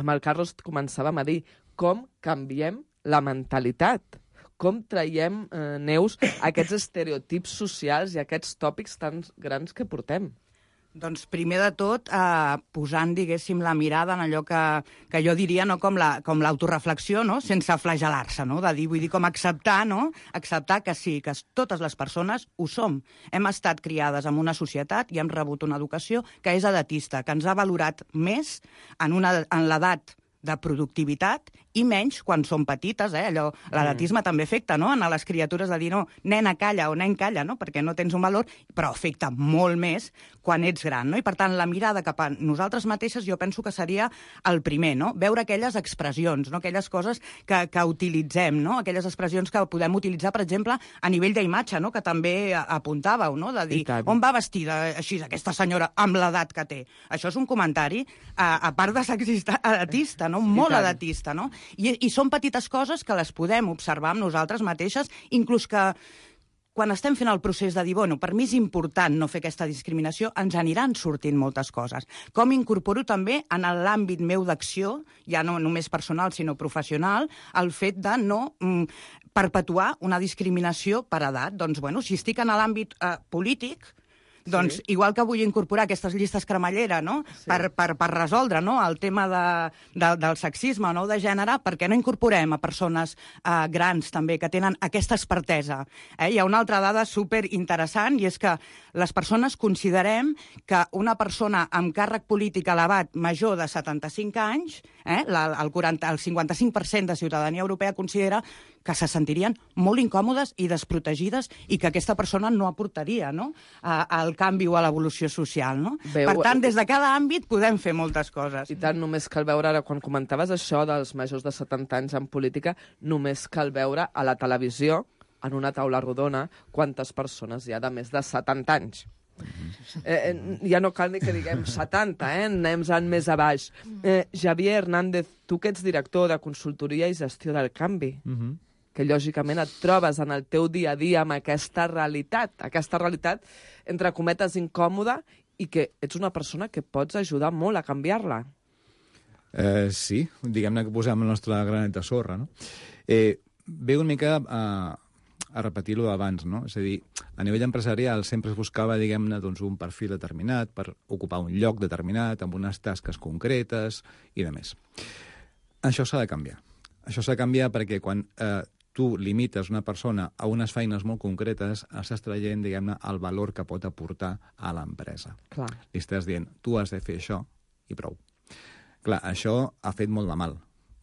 Amb el Carlos començàvem a dir com canviem la mentalitat, com traiem, eh, Neus, aquests estereotips socials i aquests tòpics tan grans que portem. Doncs primer de tot, eh, posant, diguéssim, la mirada en allò que, que jo diria no, com la, com l'autoreflexió, no? Sense flagelar-se, no? De dir, vull dir, com acceptar, no? Acceptar que sí, que totes les persones ho som. Hem estat criades en una societat i hem rebut una educació que és edatista, que ens ha valorat més en, una, en l'edat de productivitat i menys quan són petites, eh? Allò, l'edatisme mm. també afecta, no?, en les criatures de dir, no, nena calla o nen calla, no?, perquè no tens un valor, però afecta molt més quan ets gran, no? I per tant, la mirada cap a nosaltres mateixes jo penso que seria el primer, no?, veure aquelles expressions, no?, aquelles coses que, que utilitzem, no?, aquelles expressions que podem utilitzar, per exemple, a nivell d'imatge, no?, que també apuntàveu, no?, de dir, on va vestida així aquesta senyora amb l'edat que té? Això és un comentari, a, a part de sexista, edatista, no?, molt edatista, no? I, I són petites coses que les podem observar amb nosaltres mateixes, inclús que quan estem fent el procés de dir, bueno, per mi és important no fer aquesta discriminació, ens aniran sortint moltes coses. Com incorporo també en l'àmbit meu d'acció, ja no només personal, sinó professional, el fet de no mm, perpetuar una discriminació per edat. Doncs, bueno, si estic en l'àmbit eh, polític, doncs, sí. Igual que vull incorporar aquestes llistes cremallera, no?, sí. per, per, per resoldre, no?, el tema de, de, del sexisme, no?, de gènere, per què no incorporem a persones eh, grans també que tenen aquesta expertesa? Eh? Hi ha una altra dada superinteressant i és que les persones considerem que una persona amb càrrec polític elevat major de setanta-cinc anys, eh, la, el, quaranta, el cinquanta-cinc per cent de ciutadania europea considera que se sentirien molt incòmodes i desprotegides i que aquesta persona no aportaria, no?, al canvi o a l'evolució social, no? Veu... Per tant, des de cada àmbit podem fer moltes coses. I tant, només cal veure, ara, quan comentaves això dels majors de setanta anys en política, només cal veure a la televisió, en una taula rodona, quantes persones hi ha de més de setanta anys. Eh, ja no cal ni que diguem setanta, eh? Anem més a baix. Eh, Javier Hernández, tu que ets director de consultoria i gestió del canvi, uh-huh. que lògicament et trobes en el teu dia a dia amb aquesta realitat, aquesta realitat, entre cometes, incòmoda, i que ets una persona que pots ajudar molt a canviar-la. Eh, sí, diguem-ne que posem el nostre granet de sorra, no? Eh, ve una mica a, a repetir lo d'abans, no? És a dir, a nivell empresarial sempre es buscava, diguem-ne, doncs, un perfil determinat per ocupar un lloc determinat, amb unes tasques concretes i de més. Això s'ha de canviar. Això s'ha de canviar perquè quan eh, tu limites una persona a unes feines molt concretes, estàs traient, diguem-ne, el valor que pot aportar a l'empresa. Clar. Li estàs dient, tu has de fer això i prou. Clar, això ha fet molt de mal.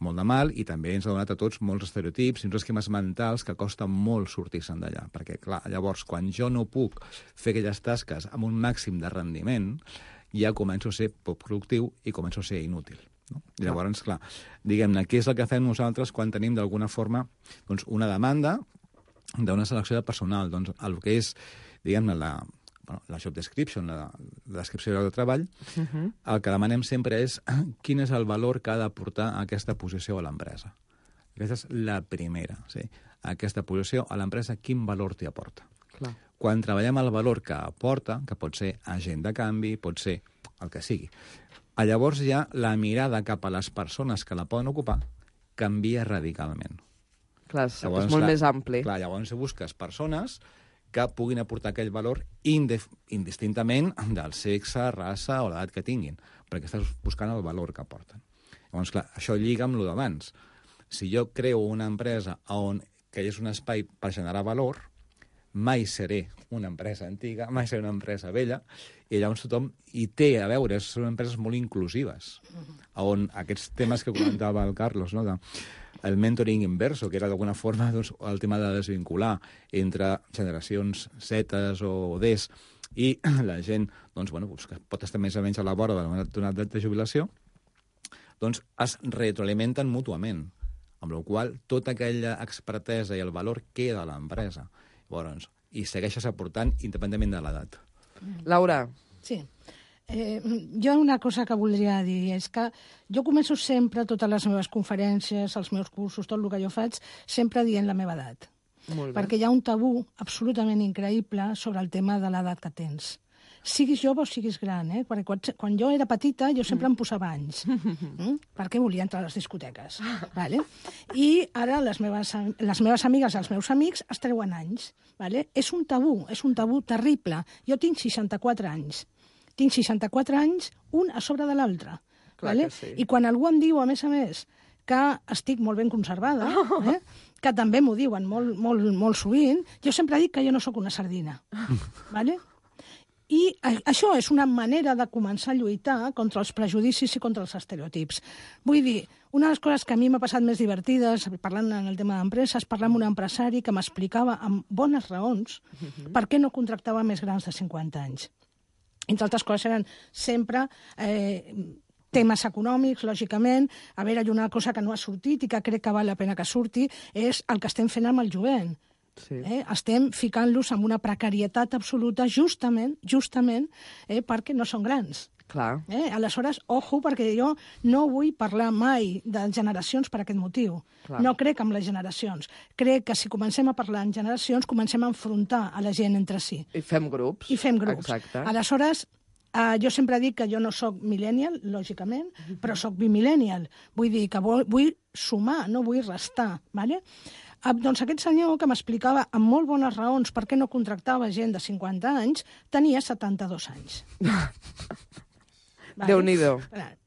Molt de mal i també ens ha donat a tots molts estereotips i uns esquemes mentals que costa molt sortir-se'n d'allà. Perquè, clar, llavors, quan jo no puc fer aquelles tasques amb un màxim de rendiment, ja començo a ser poc productiu i començo a ser inútil. No? I llavors, clar, diguem-ne, què és el que fem nosaltres quan tenim d'alguna forma doncs, una demanda d'una selecció de personal? Doncs el que és, diguem-ne, la, bueno, la job description, la, la descripció del treball, uh-huh. el que demanem sempre és quin és el valor que ha d'aportar aquesta posició a l'empresa. Aquesta és la primera, sí? Aquesta posició a l'empresa, quin valor t'hi aporta. Clar. Quan treballem el valor que aporta, que pot ser agent de canvi, pot ser el que sigui, llavors ja la mirada cap a les persones que la poden ocupar canvia radicalment. Clar, és llavors, molt la, més ampli. Clar, llavors busques persones que puguin aportar aquell valor indef, indistintament del sexe, raça o l'edat que tinguin, perquè estàs buscant el valor que aporten. Llavors, clar, això lliga amb el d'abans. Si jo creo una empresa on que és un espai per generar valor, mai seré una empresa antiga, mai seré una empresa vella, i llavors tothom hi té a veure, són empreses molt inclusives, on aquests temes que comentava el Carlos, no? El mentoring inverso, que era d'alguna forma doncs, el tema de desvincular entre generacions zetes o Ds i la gent doncs, bueno, doncs, que pot estar més o menys a la vora d'una edat de jubilació, doncs es retroalimenten mútuament, amb la qual cosa tota aquella expertesa i el valor queda a l'empresa. Llavors, i segueixes aportant independentment de l'edat. Laura. Sí. Eh, jo una cosa que voldria dir és que jo començo sempre totes les meves conferències, els meus cursos, tot el que jo faig, sempre dient la meva edat. Molt bé. Perquè hi ha un tabú absolutament increïble sobre el tema de l'edat que tens. Siguis jove o siguis gran, eh? Perquè quan, quan jo era petita jo sempre em posava anys, mm? perquè volia entrar a les discoteques. Vale? I ara les meves, les meves amigues i els meus amics es treuen anys. Vale? És un tabú, és un tabú terrible. Jo tinc seixanta-quatre anys. Tinc seixanta-quatre anys, un a sobre de l'altre. Vale? Sí. I quan algú em diu, a més a més, que estic molt ben conservada, eh? que també m'ho diuen molt, molt, molt sovint, jo sempre dic que jo no sóc una sardina. Vale? I això és una manera de començar a lluitar contra els prejudicis i contra els estereotips. Vull dir, una de les coses que a mi m'ha passat més divertides, parlant en el tema d'empreses, parlar amb un empresari que m'explicava amb bones raons per què no contractava més grans de cinquanta anys. Entre altres coses eren sempre eh, temes econòmics, lògicament. A veure, hi ha una cosa que no ha sortit i que crec que val la pena que surti, és el que estem fent amb el jovent. Sí. Eh? Estem ficant-los en una precarietat absoluta justament justament eh, perquè no són grans. Clar. Eh? Aleshores, ojo, perquè jo no vull parlar mai de generacions per aquest motiu. Clar. No crec en les generacions. Crec que si comencem a parlar en generacions, comencem a enfrontar a la gent entre si. I fem grups. I fem grups. Exacte. Aleshores, Uh, jo sempre dic que jo no sóc millennial, lògicament, però sóc bimillennial. Vull dir que vull, vull sumar, no vull restar. Vale? Uh, doncs aquest senyor que m'explicava amb molt bones raons per què no contractava gent de cinquanta anys, tenia setanta-dos anys. Vale? Déu-n'hi-do.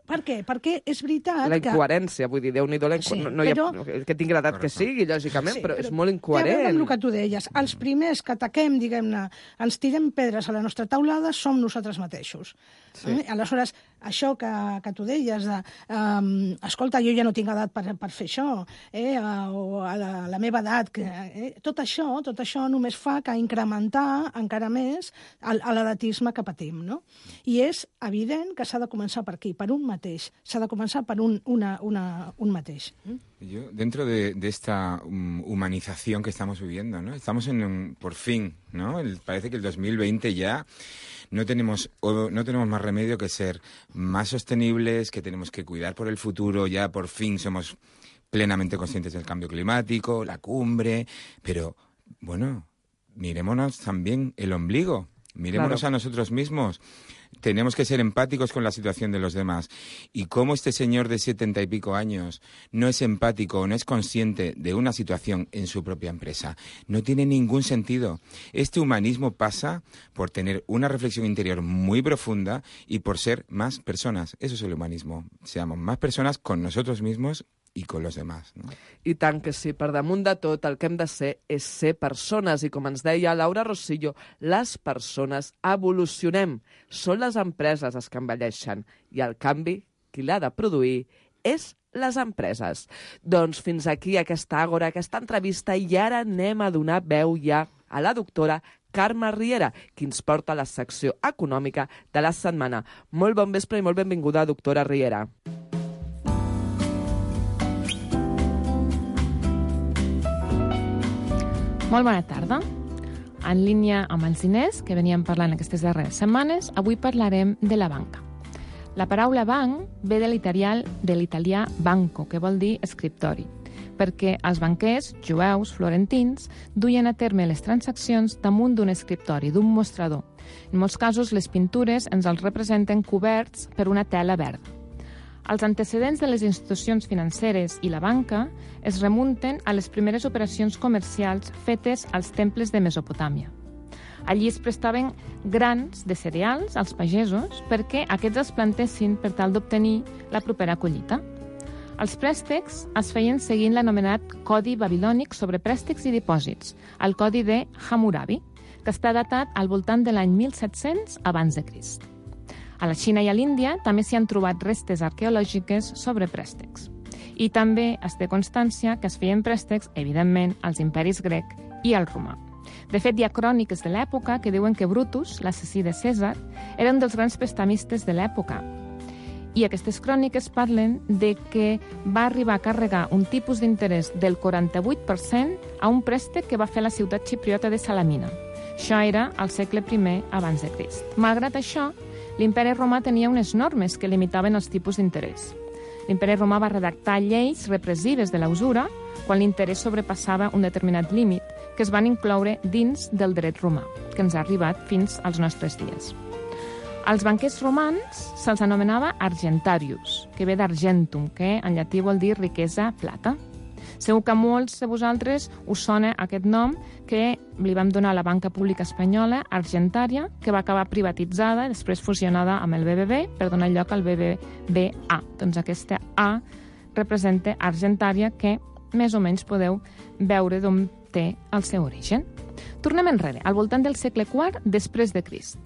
Per què? Perquè és veritat la incoherència, que... vull dir, Déu-n'hi-do, la inco... sí, no, no però... hi ha... que tingui l'edat que sigui, lògicament, sí, però, però és molt incoherent. Té a veure amb el que tu deies. Els primers que ataquem, diguem-ne, ens tirem pedres a la nostra taulada, som nosaltres mateixos. Sí. Eh? Aleshores, això que, que tu deies de, um, escolta, jo ja no tinc edat per, per fer això, eh? o a la, a la meva edat, que, eh? tot això tot això només fa que incrementar encara més l'edatisme que patim, no? I és evident que s'ha de començar per aquí, per un mateix. S'ha de començar per un, una, una, un mateix. Yo, dentro de, de esta um, humanización que estamos viviendo, ¿no? Estamos en un, por fin, ¿no? El, parece que el dos mil veinte ya no tenemos, o, no tenemos más remedio que ser más sostenibles, que tenemos que cuidar por el futuro, ya por fin somos plenamente conscientes del cambio climático, la cumbre, pero, bueno, mirémonos también el ombligo, mirémonos claro. a nosotros mismos. Tenemos que ser empáticos con la situación de los demás. Y cómo este señor de setenta y pico años no es empático o no es consciente de una situación en su propia empresa, no tiene ningún sentido. Este humanismo pasa por tener una reflexión interior muy profunda y por ser más personas. Eso es el humanismo. Seamos más personas con nosotros mismos i con los demás, no? I tant que sí, per damunt de tot el que hem de ser és ser persones i com ens deia Laura Rosillo, les persones evolucionem, són les empreses les que envelleixen i el canvi qui l'ha de produir és les empreses. Doncs fins aquí aquesta àgora, aquesta entrevista i ara anem a donar veu ja a la doctora Carme Riera, qui ens porta la secció econòmica de la setmana. Molt bon vespre i molt benvinguda, doctora Riera. Molt bona tarda. En línia amb els diners que veníem parlant aquestes darreres setmanes, avui parlarem de la banca. La paraula banc ve de l'italià de l'italià banco, que vol dir escriptori. perquè els banquers, jueus, florentins, duien a terme les transaccions damunt d'un escriptori, d'un mostrador. En molts casos, les pintures ens els representen coberts per una tela verda. Els antecedents de les institucions financeres i la banca es remunten a les primeres operacions comercials fetes als temples de Mesopotàmia. Allí es prestaven grans de cereals als pagesos perquè aquests els plantessin per tal d'obtenir la propera collita. Els préstecs es feien seguint l'anomenat Codi Babilònic sobre préstecs i dipòsits, el Codi de Hammurabi, que està datat al voltant de l'any mil set-cents abans de Crist. A la Xina i a l'Índia també s'hi han trobat restes arqueològiques sobre préstecs. I també es té constància que es feien préstecs, evidentment, als imperis grec i al romà. De fet, hi ha cròniques de l'època que diuen que Brutus, l'assassí de Cèsar, era un dels grans prestamistes de l'època. I aquestes cròniques parlen de que va arribar a carregar un tipus d'interès del quaranta-vuit per cent a un préstec que va fer la ciutat xipriota de Salamina. Això era al segle primer abans de Crist. Malgrat això, l'imperi romà tenia unes normes que limitaven els tipus d'interès. L'imperi romà va redactar lleis repressives de la usura quan l'interès sobrepassava un determinat límit, que es van incloure dins del dret romà, que ens ha arribat fins als nostres dies. Als banquers romans se'ls anomenava argentarius, que ve d'argentum, que en llatí vol dir riquesa, plata. Segur que a molts de vosaltres us sona aquest nom que li vam donar a la banca pública espanyola, Argentària, que va acabar privatitzada i després fusionada amb el B B B per donar lloc al B B V A. Doncs aquesta A representa Argentària, que més o menys podeu veure d'on té el seu origen. Tornem enrere, al voltant del segle quart després de Crist.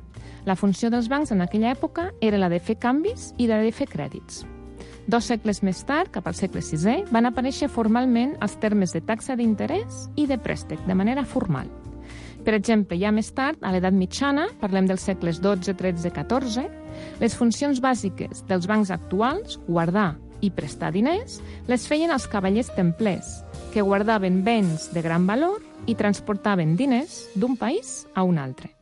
La funció dels bancs en aquella època era la de fer canvis i la de fer crèdits. Dos segles més tard, cap al segle sisè, van aparèixer formalment els termes de taxa d'interès i de préstec, de manera formal. Per exemple, ja més tard, a l'edat mitjana, parlem dels segles dotze, tretze, catorze, les funcions bàsiques dels bancs actuals, guardar i prestar diners, les feien els cavallers templers, que guardaven béns de gran valor i transportaven diners d'un país a un altre.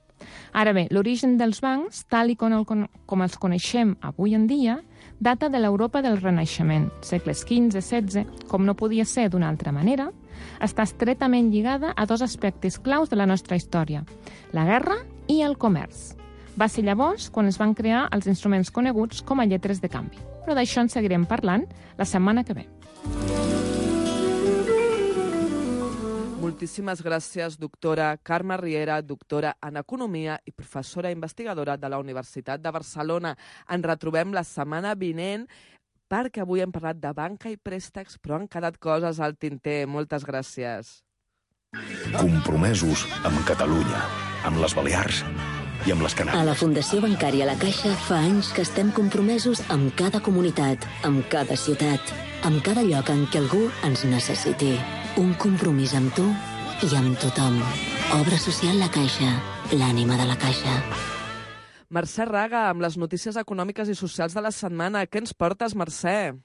Ara bé, l'origen dels bancs, tal i com, el, com els coneixem avui en dia, data de l'Europa del Renaixement, segles quinze setze, com no podia ser d'una altra manera, està estretament lligada a dos aspectes claus de la nostra història, la guerra i el comerç. Va ser llavors quan es van crear els instruments coneguts com a lletres de canvi. Però d'això en seguirem parlant la setmana que ve. Moltíssimes gràcies, doctora Carme Riera, doctora en Economia i professora investigadora de la Universitat de Barcelona. Ens retrobem la setmana vinent perquè avui hem parlat de banca i préstecs, però han quedat coses al tinter. Moltes gràcies. Compromesos amb Catalunya, amb les Balears i amb les Canàries. A la Fundació Bancària La Caixa fa anys que estem compromesos amb cada comunitat, amb cada ciutat, amb cada lloc en què algú ens necessiti. Un compromís amb tu i amb tothom. Obra social La Caixa, l'ànima de la Caixa. Mercè Raga, amb les notícies econòmiques i socials de la setmana. Què ens portes, Mercè?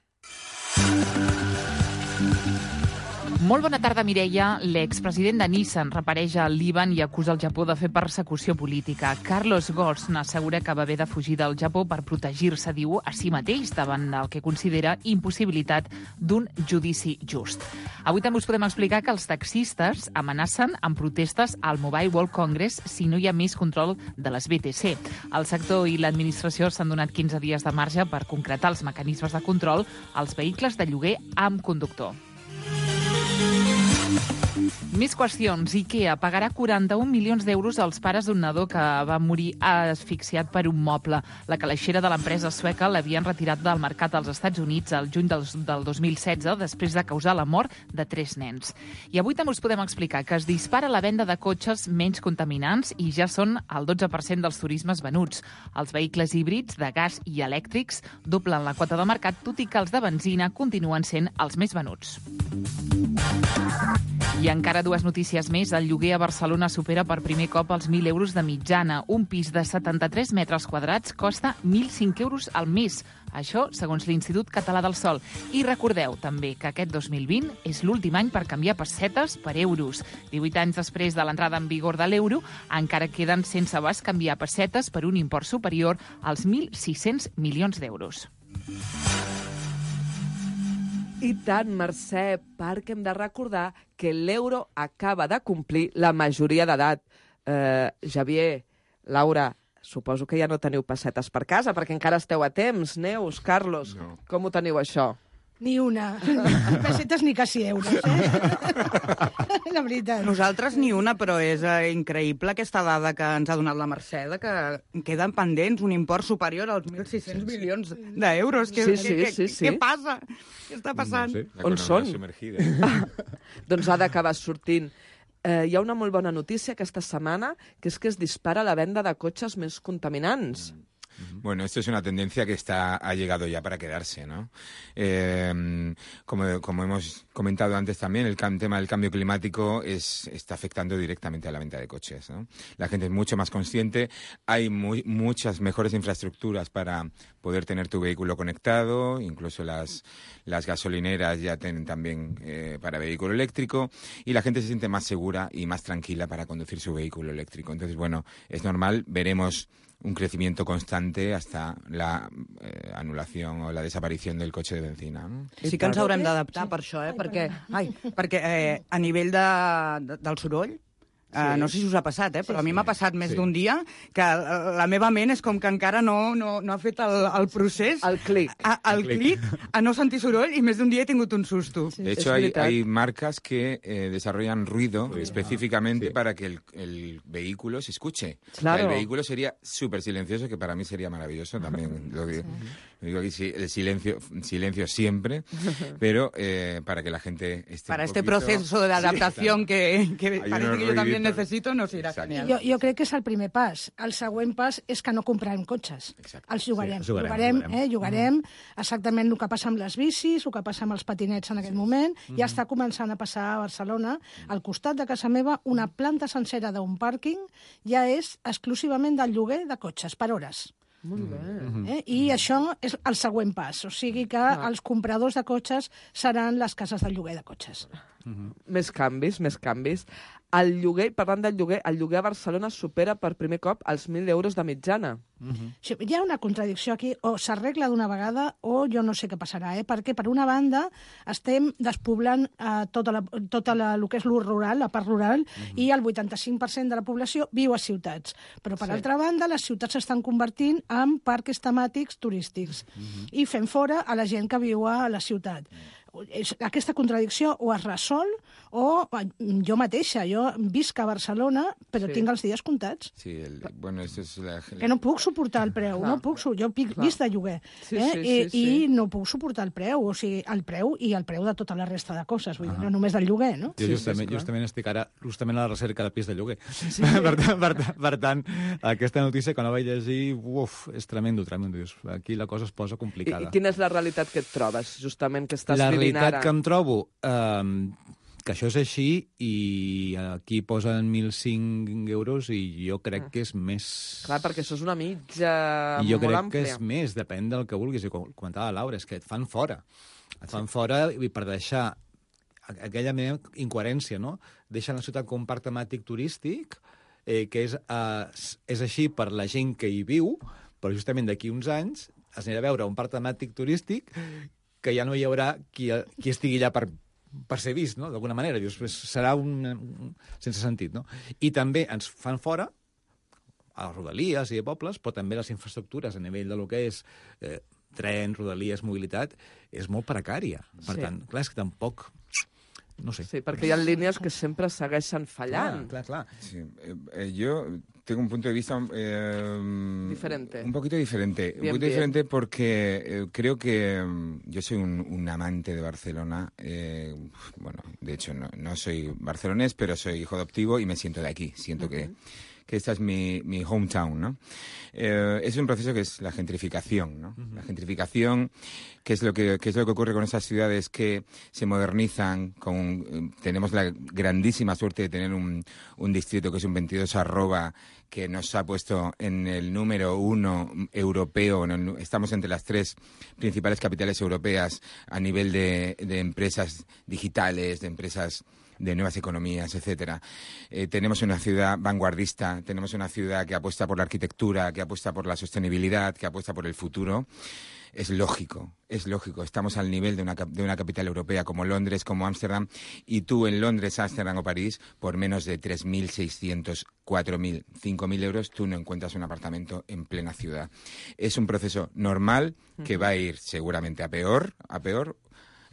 Molt bona tarda, Mireia. L'expresident de Nissan repareix al Líban i acusa el Japó de fer persecució política. Carlos Ghosn assegura que va haver de fugir del Japó per protegir-se, diu, a si mateix davant el que considera impossibilitat d'un judici just. Avui també us podem explicar que els taxistes amenacen amb protestes al Mobile World Congress si no hi ha més control de les B T C. El sector i l'administració s'han donat quinze dies de marge per concretar els mecanismes de control als vehicles de lloguer amb conductor. Més qüestions. IKEA pagarà quaranta-un milions d'euros als pares d'un nadó que va morir asfixiat per un moble. La calaixera de l'empresa sueca l'havien retirat del mercat als Estats Units el juny del, del dos mil setze després de causar la mort de tres nens. I avui també us podem explicar que es dispara la venda de cotxes menys contaminants i ja són el dotze per cent dels turismes venuts. Els vehicles híbrids de gas i elèctrics doblen la quota de mercat, tot i que els de benzina continuen sent els més venuts. I encara dues notícies més. El lloguer a Barcelona supera per primer cop els mil euros de mitjana. Un pis de setanta-tres metres quadrats costa mil cinc euros al mes. Això, segons l'Institut Català del Sòl. I recordeu també que aquest dos mil vint és l'últim any per canviar pessetes per euros. divuit anys després de l'entrada en vigor de l'euro, encara queden sense abast canviar pessetes per un import superior als mil sis-cents milions d'euros. I tant, Mercè, perquè hem de recordar que l'euro acaba de complir la majoria d'edat. Eh, Xavier, Laura, suposo que ja no teniu pessetes per casa, perquè encara esteu a temps. Neus, Carlos, no. Com ho teniu, això? Ni una. Ni pessetes ni quasi euros, eh? La veritat. Nosaltres ni una, però és eh, increïble aquesta dada que ens ha donat la Mercè, que queden pendents un import superior als mil sis-cents milions d'euros. Sí, sí, què, sí, sí. Què passa? Què està passant? No sé, on són? Doncs ha d'acabar sortint. Eh, hi ha una molt bona notícia aquesta setmana, que és que es dispara la venda de cotxes més contaminants. Mm. Bueno, esto es una tendencia que está, ha llegado ya para quedarse, ¿no? Eh, como, como hemos comentado antes también, el tema del cambio climático es, está afectando directamente a la venta de coches, ¿no? La gente es mucho más consciente, hay muy, muchas mejores infraestructuras para poder tener tu vehículo conectado, incluso las, las gasolineras ya tienen también eh, para vehículo eléctrico, y la gente se siente más segura y más tranquila para conducir su vehículo eléctrico. Entonces, bueno, es normal, veremos un crecimiento constante hasta la eh, anulación o la desaparición del cotxe de benzina. No? Sí que ens haurem d'adaptar per això, eh? perquè, ai, perquè eh, a nivell de, de, del soroll, Sí. Uh, no sé si us ha passat, eh? però sí, a mi m'ha passat més sí. d'un dia que la meva ment és com que encara no, no, no ha fet el, el procés. El clic. A, el, el clic, a no sentir soroll, i més d'un dia he tingut un susto. Sí, de hecho, hay, hay marcas que eh, desarrollan ruido sí. específicamente sí. para que el, el vehículo se escuche. Claro. O sea, el vehículo sería súper silencioso, que para mí sería maravilloso también. Lo digo, sí. lo digo aquí, sí, el silencio, silencio siempre, pero eh, para que la gente esté Para un este poquito... proceso de adaptación sí, que, que parece que yo también ruiditos. necesito, nos irà genial. Jo, jo crec que és el primer pas. El següent pas és que no comprarem cotxes. Exacte. Els jugarem. Sí, jugarem, jugarem, jugarem. Eh? jugarem mm. exactament el que passa amb les bicis, el que passa amb els patinets en aquest moment. Mm. Ja està començant a passar a Barcelona. Al costat de casa meva, una planta sencera d'un pàrquing ja és exclusivament del lloguer de cotxes, per hores. Molt bé. Eh? I això és el següent pas. O sigui que no. els compradors de cotxes seran les cases del lloguer de cotxes. Mm-hmm. Més canvis, més canvis. El lloguer, parlant del lloguer, el lloguer a Barcelona supera per primer cop els mil euros de mitjana. Mm-hmm. Sí, hi ha una contradicció aquí, o s'arregla d'una vegada o jo no sé què passarà, eh? perquè per una banda estem despoblant eh, tota, la, tota la, el que és l'ús rural, la part rural, mm-hmm. i el vuitanta-cinc per cent de la població viu a ciutats. Però per sí. altra banda, les ciutats s'estan convertint en parcs temàtics turístics mm-hmm. i fent fora a la gent que viu a la ciutat. Mm. Aquesta contradicció o es resol o jo mateixa, jo visc a Barcelona però sí. tinc els dies comptats. Sí, el, bueno, esto es la... Que no puc suportar el preu, Clar. no puc, jo pic, visc de lloguer sí, eh? sí, sí, I, sí. i no puc suportar el preu, o sigui, el preu i el preu de tota la resta de coses, vull dir, no només del lloguer, no? Jo justament, sí, justament estic ara justament a la recerca de pis de lloguer. Sí, sí. per, tant, per, per tant, aquesta notícia quan la vaig llegir, uf, és tremendo, tremendo. Aquí la cosa es posa complicada. I, i quina és la realitat que et trobes, justament, que estàs la vivint ara? La realitat que em trobo Um, que això és així i aquí posen mil cinc euros i jo crec que és més... Clar, perquè això és una mitja I jo molt crec àmplia. que és més, depèn del que vulguis. I com comentava Laura, és que et fan fora. Et fan sí. fora i per deixar aquella meva incoherència, no? Deixen la ciutat com un parc temàtic turístic, eh, que és, eh, és així per la gent que hi viu, però justament d'aquí uns anys es anirà a veure un parc temàtic turístic que ja no hi haurà qui, qui estigui allà per, per ser vist, no? D'alguna manera. Dius, serà un, un... sense sentit, no? I també ens fan fora a les rodalies i a pobles, però també les infraestructures a nivell de lo que és eh, tren, rodalies, mobilitat, és molt precària. Per sí. tant, clar, és que tampoc... No sé. Sí, perquè hi ha línies que sempre segueixen fallant. Clar, clar, clar. Sí. Eh, yo tengo un punto de vista eh, diferente. Un poquito diferente. Bien, un poquito bien. diferente porque eh, creo que um, yo soy un, un amante de Barcelona. Eh, bueno, de hecho no, no soy barcelonés, pero soy hijo adoptivo y me siento de aquí. Siento uh-huh. que... que esta es mi, mi hometown, ¿no? Eh, es un proceso que es la gentrificación, ¿no? Uh-huh. La gentrificación, que es lo que, que es lo que ocurre con esas ciudades que se modernizan, con, tenemos la grandísima suerte de tener un, un distrito que es un veintidós arroba, que nos ha puesto en el número uno europeo, en el, estamos entre las tres principales capitales europeas a nivel de, de empresas digitales, de empresas de nuevas economías, etcétera. Eh, tenemos una ciudad vanguardista, tenemos una ciudad que apuesta por la arquitectura, que apuesta por la sostenibilidad, que apuesta por el futuro. Es lógico, es lógico. Estamos al nivel de una, de una capital europea como Londres, como Ámsterdam, y tú en Londres, Ámsterdam o París, por menos de tres mil seiscientos, cuatro mil, cinco mil euros, tú no encuentras un apartamento en plena ciudad. Es un proceso normal que va a ir seguramente a peor, a peor.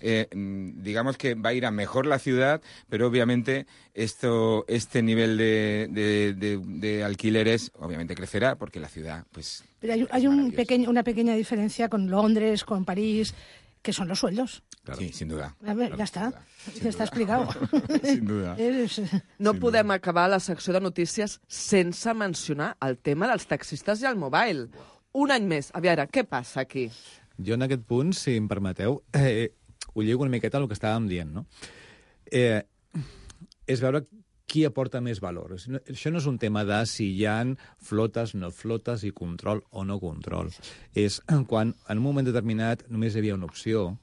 Eh, digamos que va a ir a mejor la ciudad, pero obviamente esto, este nivel de, de, de, de alquileres obviamente crecerá porque la ciudad, pues... Pero hay, hay un pequeño, una pequeña diferencia con Londres, con París, que son los sueldos. Claro. Sí, sin duda. A ver, claro, ja està, sin ja està explicat. Sin duda. És... No podem acabar la secció de notícies sense mencionar el tema dels taxistes i el mobile. Un any més. A veure, què passa aquí? Jo en aquest punt, si em permeteu, eh, ho lligo una miqueta al que estàvem dient, no? Eh, és veure qui aporta més valor. Això no és un tema de si hi ha flotes, no flotes, i control o no control. És quan en un moment determinat només hi havia una opció,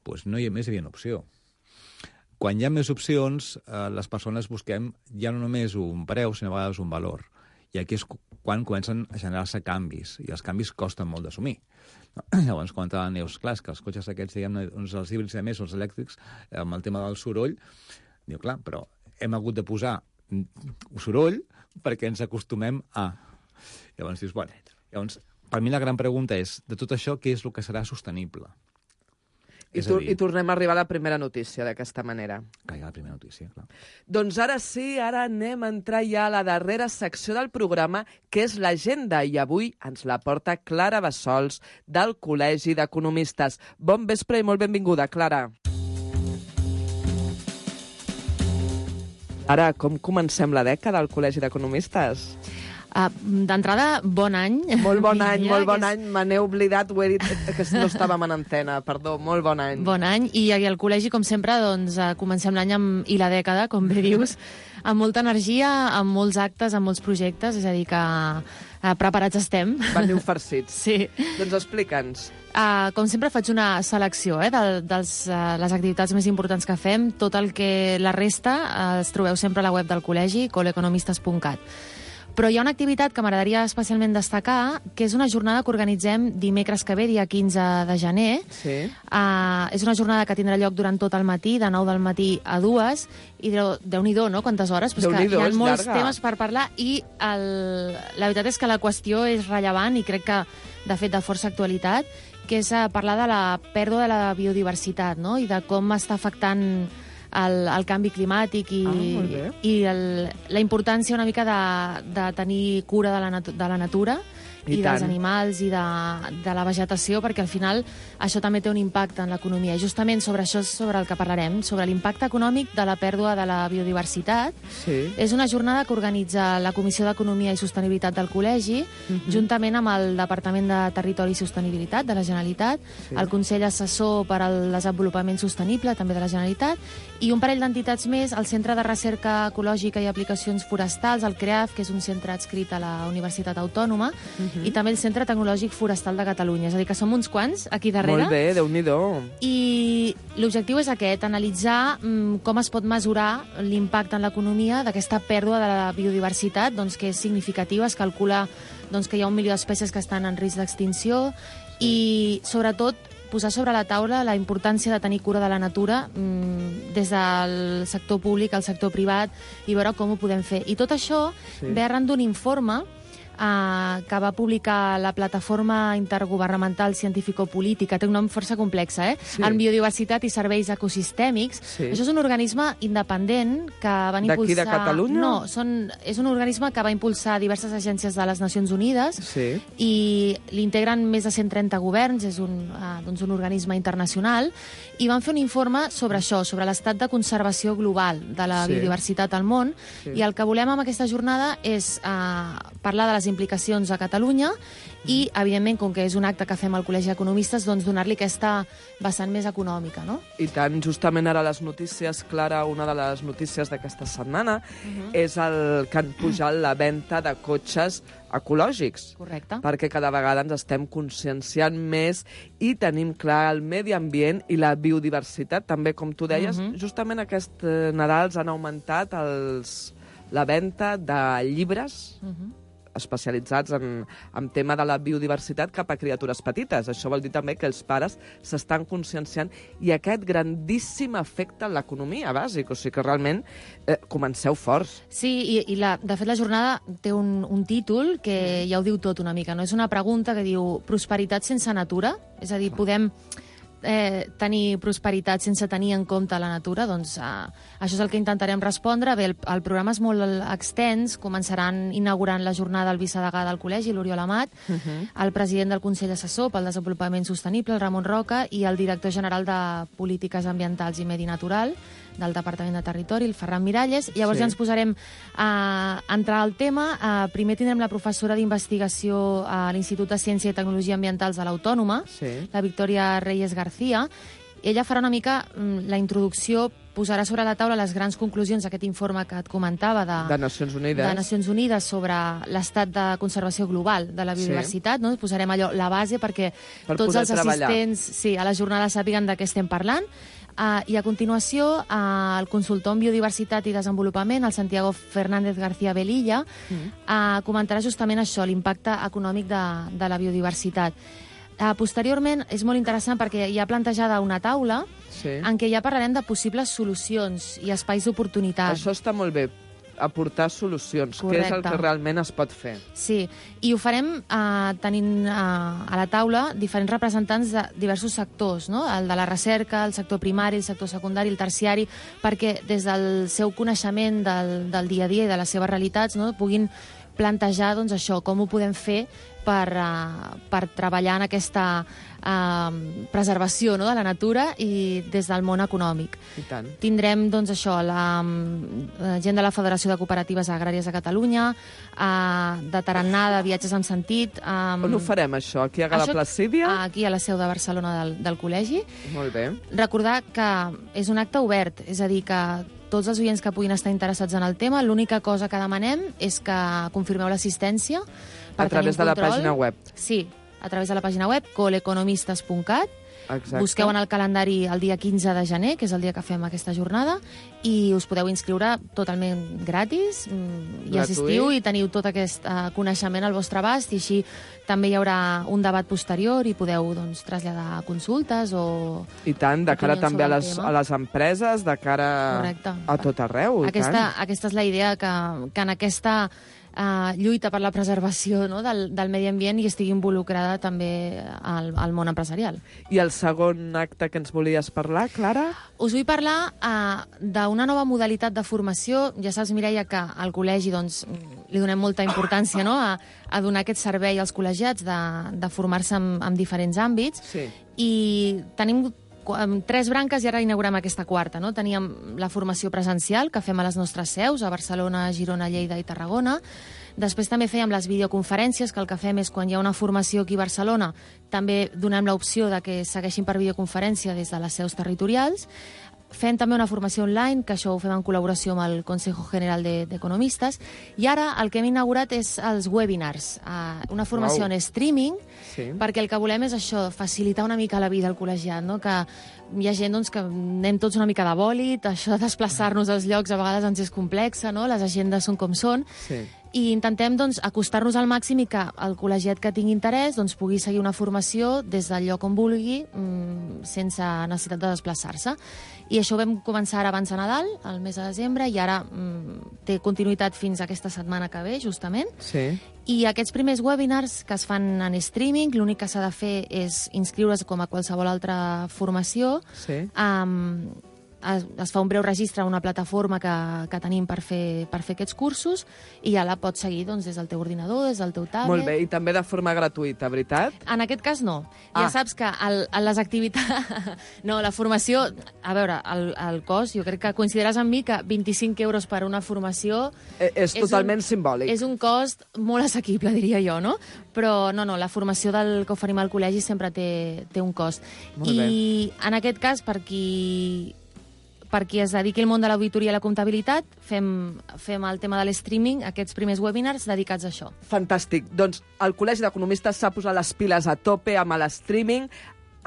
doncs no hi ha més hi havia una opció. Quan hi ha més opcions, eh, les persones busquem ja no només un preu, sinó a vegades un valor. I aquí és quan comencen a generar-se canvis, i els canvis costen molt d'assumir. No? Llavors, comentava la Neus, clar, que els cotxes aquests, diguem-ne, els híbrids a més, els elèctrics, amb el tema del soroll, diu, clar, però hem hagut de posar soroll perquè ens acostumem a... Llavors dius, bueno, llavors, per mi la gran pregunta és, de tot això, què és el que serà sostenible? I, tu, I tornem a arribar a la primera notícia d'aquesta manera. Caiga la primera notícia, clar. Doncs ara sí, ara anem a entrar ja a la darrera secció del programa, que és l'agenda, i avui ens la porta Clara Bassols, del Col·legi d'Economistes. Bon vespre i molt benvinguda, Clara. Ara, com comencem la dècada al Col·legi d'Economistes? Uh, D'entrada, bon any. Molt bon any, molt bon any. Me n'he oblidat, ho he dit, que no estàvem en antena. Perdó, molt bon any. Bon any. I al col·legi, com sempre, doncs, comencem l'any amb, i la dècada, com bé dius, amb molta energia, amb molts actes, amb molts projectes, és a dir, que uh, preparats estem. Veniu farcits. Sí. Doncs explica'ns. Uh, com sempre faig una selecció eh, de dels, uh, les activitats més importants que fem. Tot el que la resta uh, es trobeu sempre a la web del col·legi, coleconomistes punt cat. Però hi ha una activitat que m'agradaria especialment destacar, que és una jornada que organitzem dimecres que ve, dia quinze de gener. Sí. Uh, és una jornada que tindrà lloc durant tot el matí, de nou del matí a dues, i Déu-n'hi-do, no?, quantes hores? Però és que hi ha molts llarga. temes per parlar, i el, la veritat és que la qüestió és rellevant i crec que, de fet, de força actualitat, que és parlar de la pèrdua de la biodiversitat, no?, i de com està afectant El, el canvi climàtic i, ah, i el, la importància una mica de, de tenir cura de la, natu de la natura i, i dels animals i de, de la vegetació, perquè al final això també té un impacte en l'economia. I justament sobre això és sobre el que parlarem, sobre l'impacte econòmic de la pèrdua de la biodiversitat. Sí. És una jornada que organitza la Comissió d'Economia i Sostenibilitat del Col·legi, uh-huh. juntament amb el Departament de Territori i Sostenibilitat de la Generalitat, sí. el Consell Assessor per al Desenvolupament Sostenible, també de la Generalitat, i un parell d'entitats més, el Centre de Recerca Ecològica i Aplicacions Forestals, el CREAF, que és un centre adscrit a la Universitat Autònoma, uh-huh. i també el Centre Tecnològic Forestal de Catalunya. És a dir, que som uns quants aquí darrere. Molt bé, Déu-n'hi-do. I l'objectiu és aquest, analitzar mm, com es pot mesurar l'impacte en l'economia d'aquesta pèrdua de la biodiversitat, doncs, que és significativa. Es calcula doncs, que hi ha un milió d'espècies que estan en risc d'extinció i, sobretot, posar sobre la taula la importància de tenir cura de la natura mmm, des del sector públic al sector privat i veure com ho podem fer. I tot això sí. ve arran d'un informe Uh, que va publicar la Plataforma Intergovernamental Científico-Política, té un nom força complex, eh? Sí. En Biodiversitat i Serveis Ecosistèmics. Sí. Això és un organisme independent que van impulsar... D'aquí de Catalunya? No, són... és un organisme que va impulsar diverses agències de les Nacions Unides sí. i l'integren més de cent trenta governs, és un, uh, doncs un organisme internacional, i van fer un informe sobre això, sobre l'estat de conservació global de la sí. biodiversitat al món, sí. i el que volem amb aquesta jornada és uh, parlar de les implicacions a Catalunya i, evidentment, com que és un acte que fem al Col·legi d'Economistes, doncs donar-li aquesta vessant més econòmica, no? I tant, justament ara les notícies, Clara, una de les notícies d'aquesta setmana uh-huh. és el que han pujat la venda de cotxes ecològics. Correcte. Perquè cada vegada ens estem conscienciant més i tenim clar el medi ambient i la biodiversitat, també, com tu deies. Uh-huh. Justament aquest eh, Nadal han augmentat els, la venda de llibres uh-huh. especialitzats en, en tema de la biodiversitat cap a criatures petites. Això vol dir també que els pares s'estan conscienciant i aquest grandíssim efecte en l'economia bàsic. O sigui que realment eh, comenceu forts. Sí, i, i la, de fet la jornada té un, un títol que ja ho diu tot una mica, no? És una pregunta que diu prosperitat sense natura? És a dir, podem eh, tenir prosperitat sense tenir en compte la natura? Doncs eh, això és el que intentarem respondre. Bé, el, el programa és molt extens, començaran inaugurant la jornada el vicedegà del col·legi, l'Oriol Amat, uh-huh. el president del Consell Assessor pel Desenvolupament Sostenible, el Ramon Roca, i el director general de Polítiques Ambientals i Medi Natural del Departament de Territori, el Ferran Miralles. Llavors sí. ja ens posarem a entrar al tema. Uh, primer tindrem la professora d'investigació a l'Institut de Ciència i Tecnologia Ambientals de l'Autònoma, sí. la Victòria Reyes García. Ella farà una mica mm, la introducció, posarà sobre la taula les grans conclusions d'aquest informe que et comentava de, de Nacions Unides, de Nacions Unides sobre l'estat de conservació global de la biodiversitat. Sí. No? Posarem allò, la base perquè per tots els treballar. assistents sí, a la jornada sàpiguen de què estem parlant. Uh, I a continuació, uh, el consultor en Biodiversitat i Desenvolupament, el Santiago Fernández García Velilla, mm. uh, comentarà justament això, l'impacte econòmic de, de la biodiversitat. Uh, posteriorment, és molt interessant perquè hi ha plantejada una taula sí. en què ja parlarem de possibles solucions i espais d'oportunitat. Això està molt bé, aportar solucions, Correcte. que és el que realment es pot fer. Sí, i ho farem eh, tenint eh, a la taula diferents representants de diversos sectors, no? El de la recerca, el sector primari, el sector secundari, el terciari, perquè des del seu coneixement del, del dia a dia i de les seves realitats, no? puguin plantejar doncs, això, com ho podem fer per, uh, per treballar en aquesta uh, preservació no? de la natura i des del món econòmic. I tant. Tindrem doncs, això, la, la gent de la Federació de Cooperatives Agràries de Catalunya, uh, de tarannà, de viatges en sentit... Um, On ho farem, això? Aquí a Gala Placídia? Aquí a la seu de Barcelona del, del col·legi. Molt bé. Recordar que és un acte obert, és a dir, que tots els oients que puguin estar interessats en el tema, l'única cosa que demanem és que confirmeu l'assistència per a través de la pàgina web. Sí, a través de la pàgina web coleconomistes punt cat. Exacte. Busqueu en el calendari el dia quinze de gener, que és el dia que fem aquesta jornada, i us podeu inscriure totalment gratis, i assistiu i teniu tot aquest uh, coneixement al vostre abast, i així també hi haurà un debat posterior i podeu doncs, traslladar consultes o... I tant, de cara també a les, a les empreses, de cara Correcte. a tot arreu. Aquesta, aquesta és la idea, que, que en aquesta uh, lluita per la preservació no, del, del medi ambient hi estigui involucrada també al, al món empresarial. I el segon acte que ens volies parlar, Clara? Us vull parlar uh, d'una nova modalitat de formació. Ja saps, Mireia, que al col·legi doncs, li donem molta importància no, a, a donar aquest servei als col·legiats de, de formar-se en, en diferents àmbits. Sí. I tenim tres branques i ara inaugurem aquesta quarta. No? Teníem la formació presencial, que fem a les nostres seus, a Barcelona, Girona, Lleida i Tarragona. Després també fèiem les videoconferències, que el que fem és, quan hi ha una formació aquí a Barcelona, també donem l'opció de que segueixin per videoconferència des de les seus territorials. Fem també una formació online, que això ho fem en col·laboració amb el Consejo General d'Economistes, i ara el que hem inaugurat és els webinars, una formació wow. en streaming, sí. perquè el que volem és això, facilitar una mica la vida al col·legiat, no? Que hi ha gent doncs, que anem tots una mica de bòlit, això de desplaçar-nos als llocs a vegades ens és complexa, no? Les agendes són com són, sí. i intentem doncs, acostar-nos al màxim i que el col·legiat que tingui interès doncs, pugui seguir una formació des del lloc on vulgui, mmm, sense necessitat de desplaçar-se. I això ho vam començar ara abans de Nadal, el mes de desembre, i ara mmm, té continuïtat fins a aquesta setmana que ve, justament. Sí. I aquests primers webinars que es fan en streaming, l'únic que s'ha de fer és inscriure's com a qualsevol altra formació. Sí. Um, es, es fa un breu registre a una plataforma que, que tenim per fer, per fer aquests cursos i ja la pots seguir doncs, des del teu ordinador, des del teu tablet. Molt bé, i també de forma gratuïta, veritat? En aquest cas no. Ah. Ja saps que el, les activitats... No, la formació... A veure, el, el cost, jo crec que coincidiràs amb mi que vint-i-cinc euros per una formació... Eh, és, és totalment un, simbòlic. És un cost molt assequible, diria jo, no? Però no, no, la formació del que oferim al col·legi sempre té, té un cost. Molt I bé. en aquest cas, per qui, per qui es dediqui al món de l'auditoria i la comptabilitat, fem, fem el tema de l'streaming, aquests primers webinars dedicats a això. Fantàstic. Doncs el Col·legi d'Economistes s'ha posat les piles a tope amb l'streaming,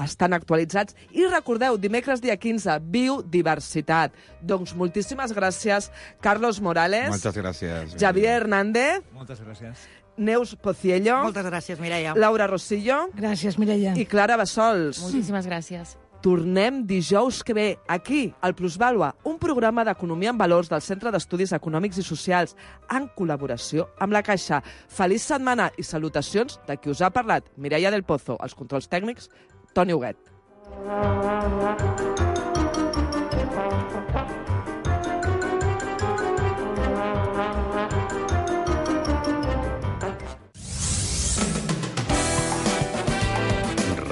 estan actualitzats. I recordeu, dimecres dia quinze, biodiversitat. Doncs moltíssimes gràcies, Carlos Morales. Moltes gràcies. Javier Hernández. Moltes gràcies. Neus Pociello. Moltes gràcies, Mireia. Laura Rosillo. Gràcies, Mireia. I Clara Bassols. Moltíssimes gràcies. Tornem dijous que ve, aquí, al Plusvàlua, un programa d'economia en valors del Centre d'Estudis Econòmics i Socials, en col·laboració amb la Caixa. Feliç setmana i salutacions de qui us ha parlat, Mireia del Pozo, els controls tècnics, Toni Huguet.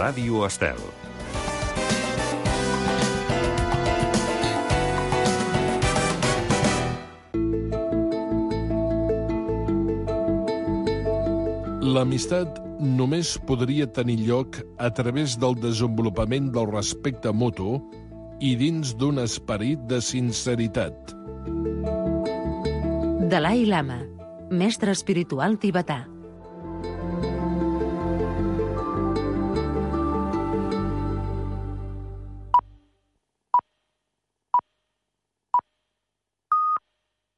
Ràdio Estel. L'amistat només podria tenir lloc a través del desenvolupament del respecte mutu i dins d'un esperit de sinceritat. Dalai Lama, mestre espiritual tibetà.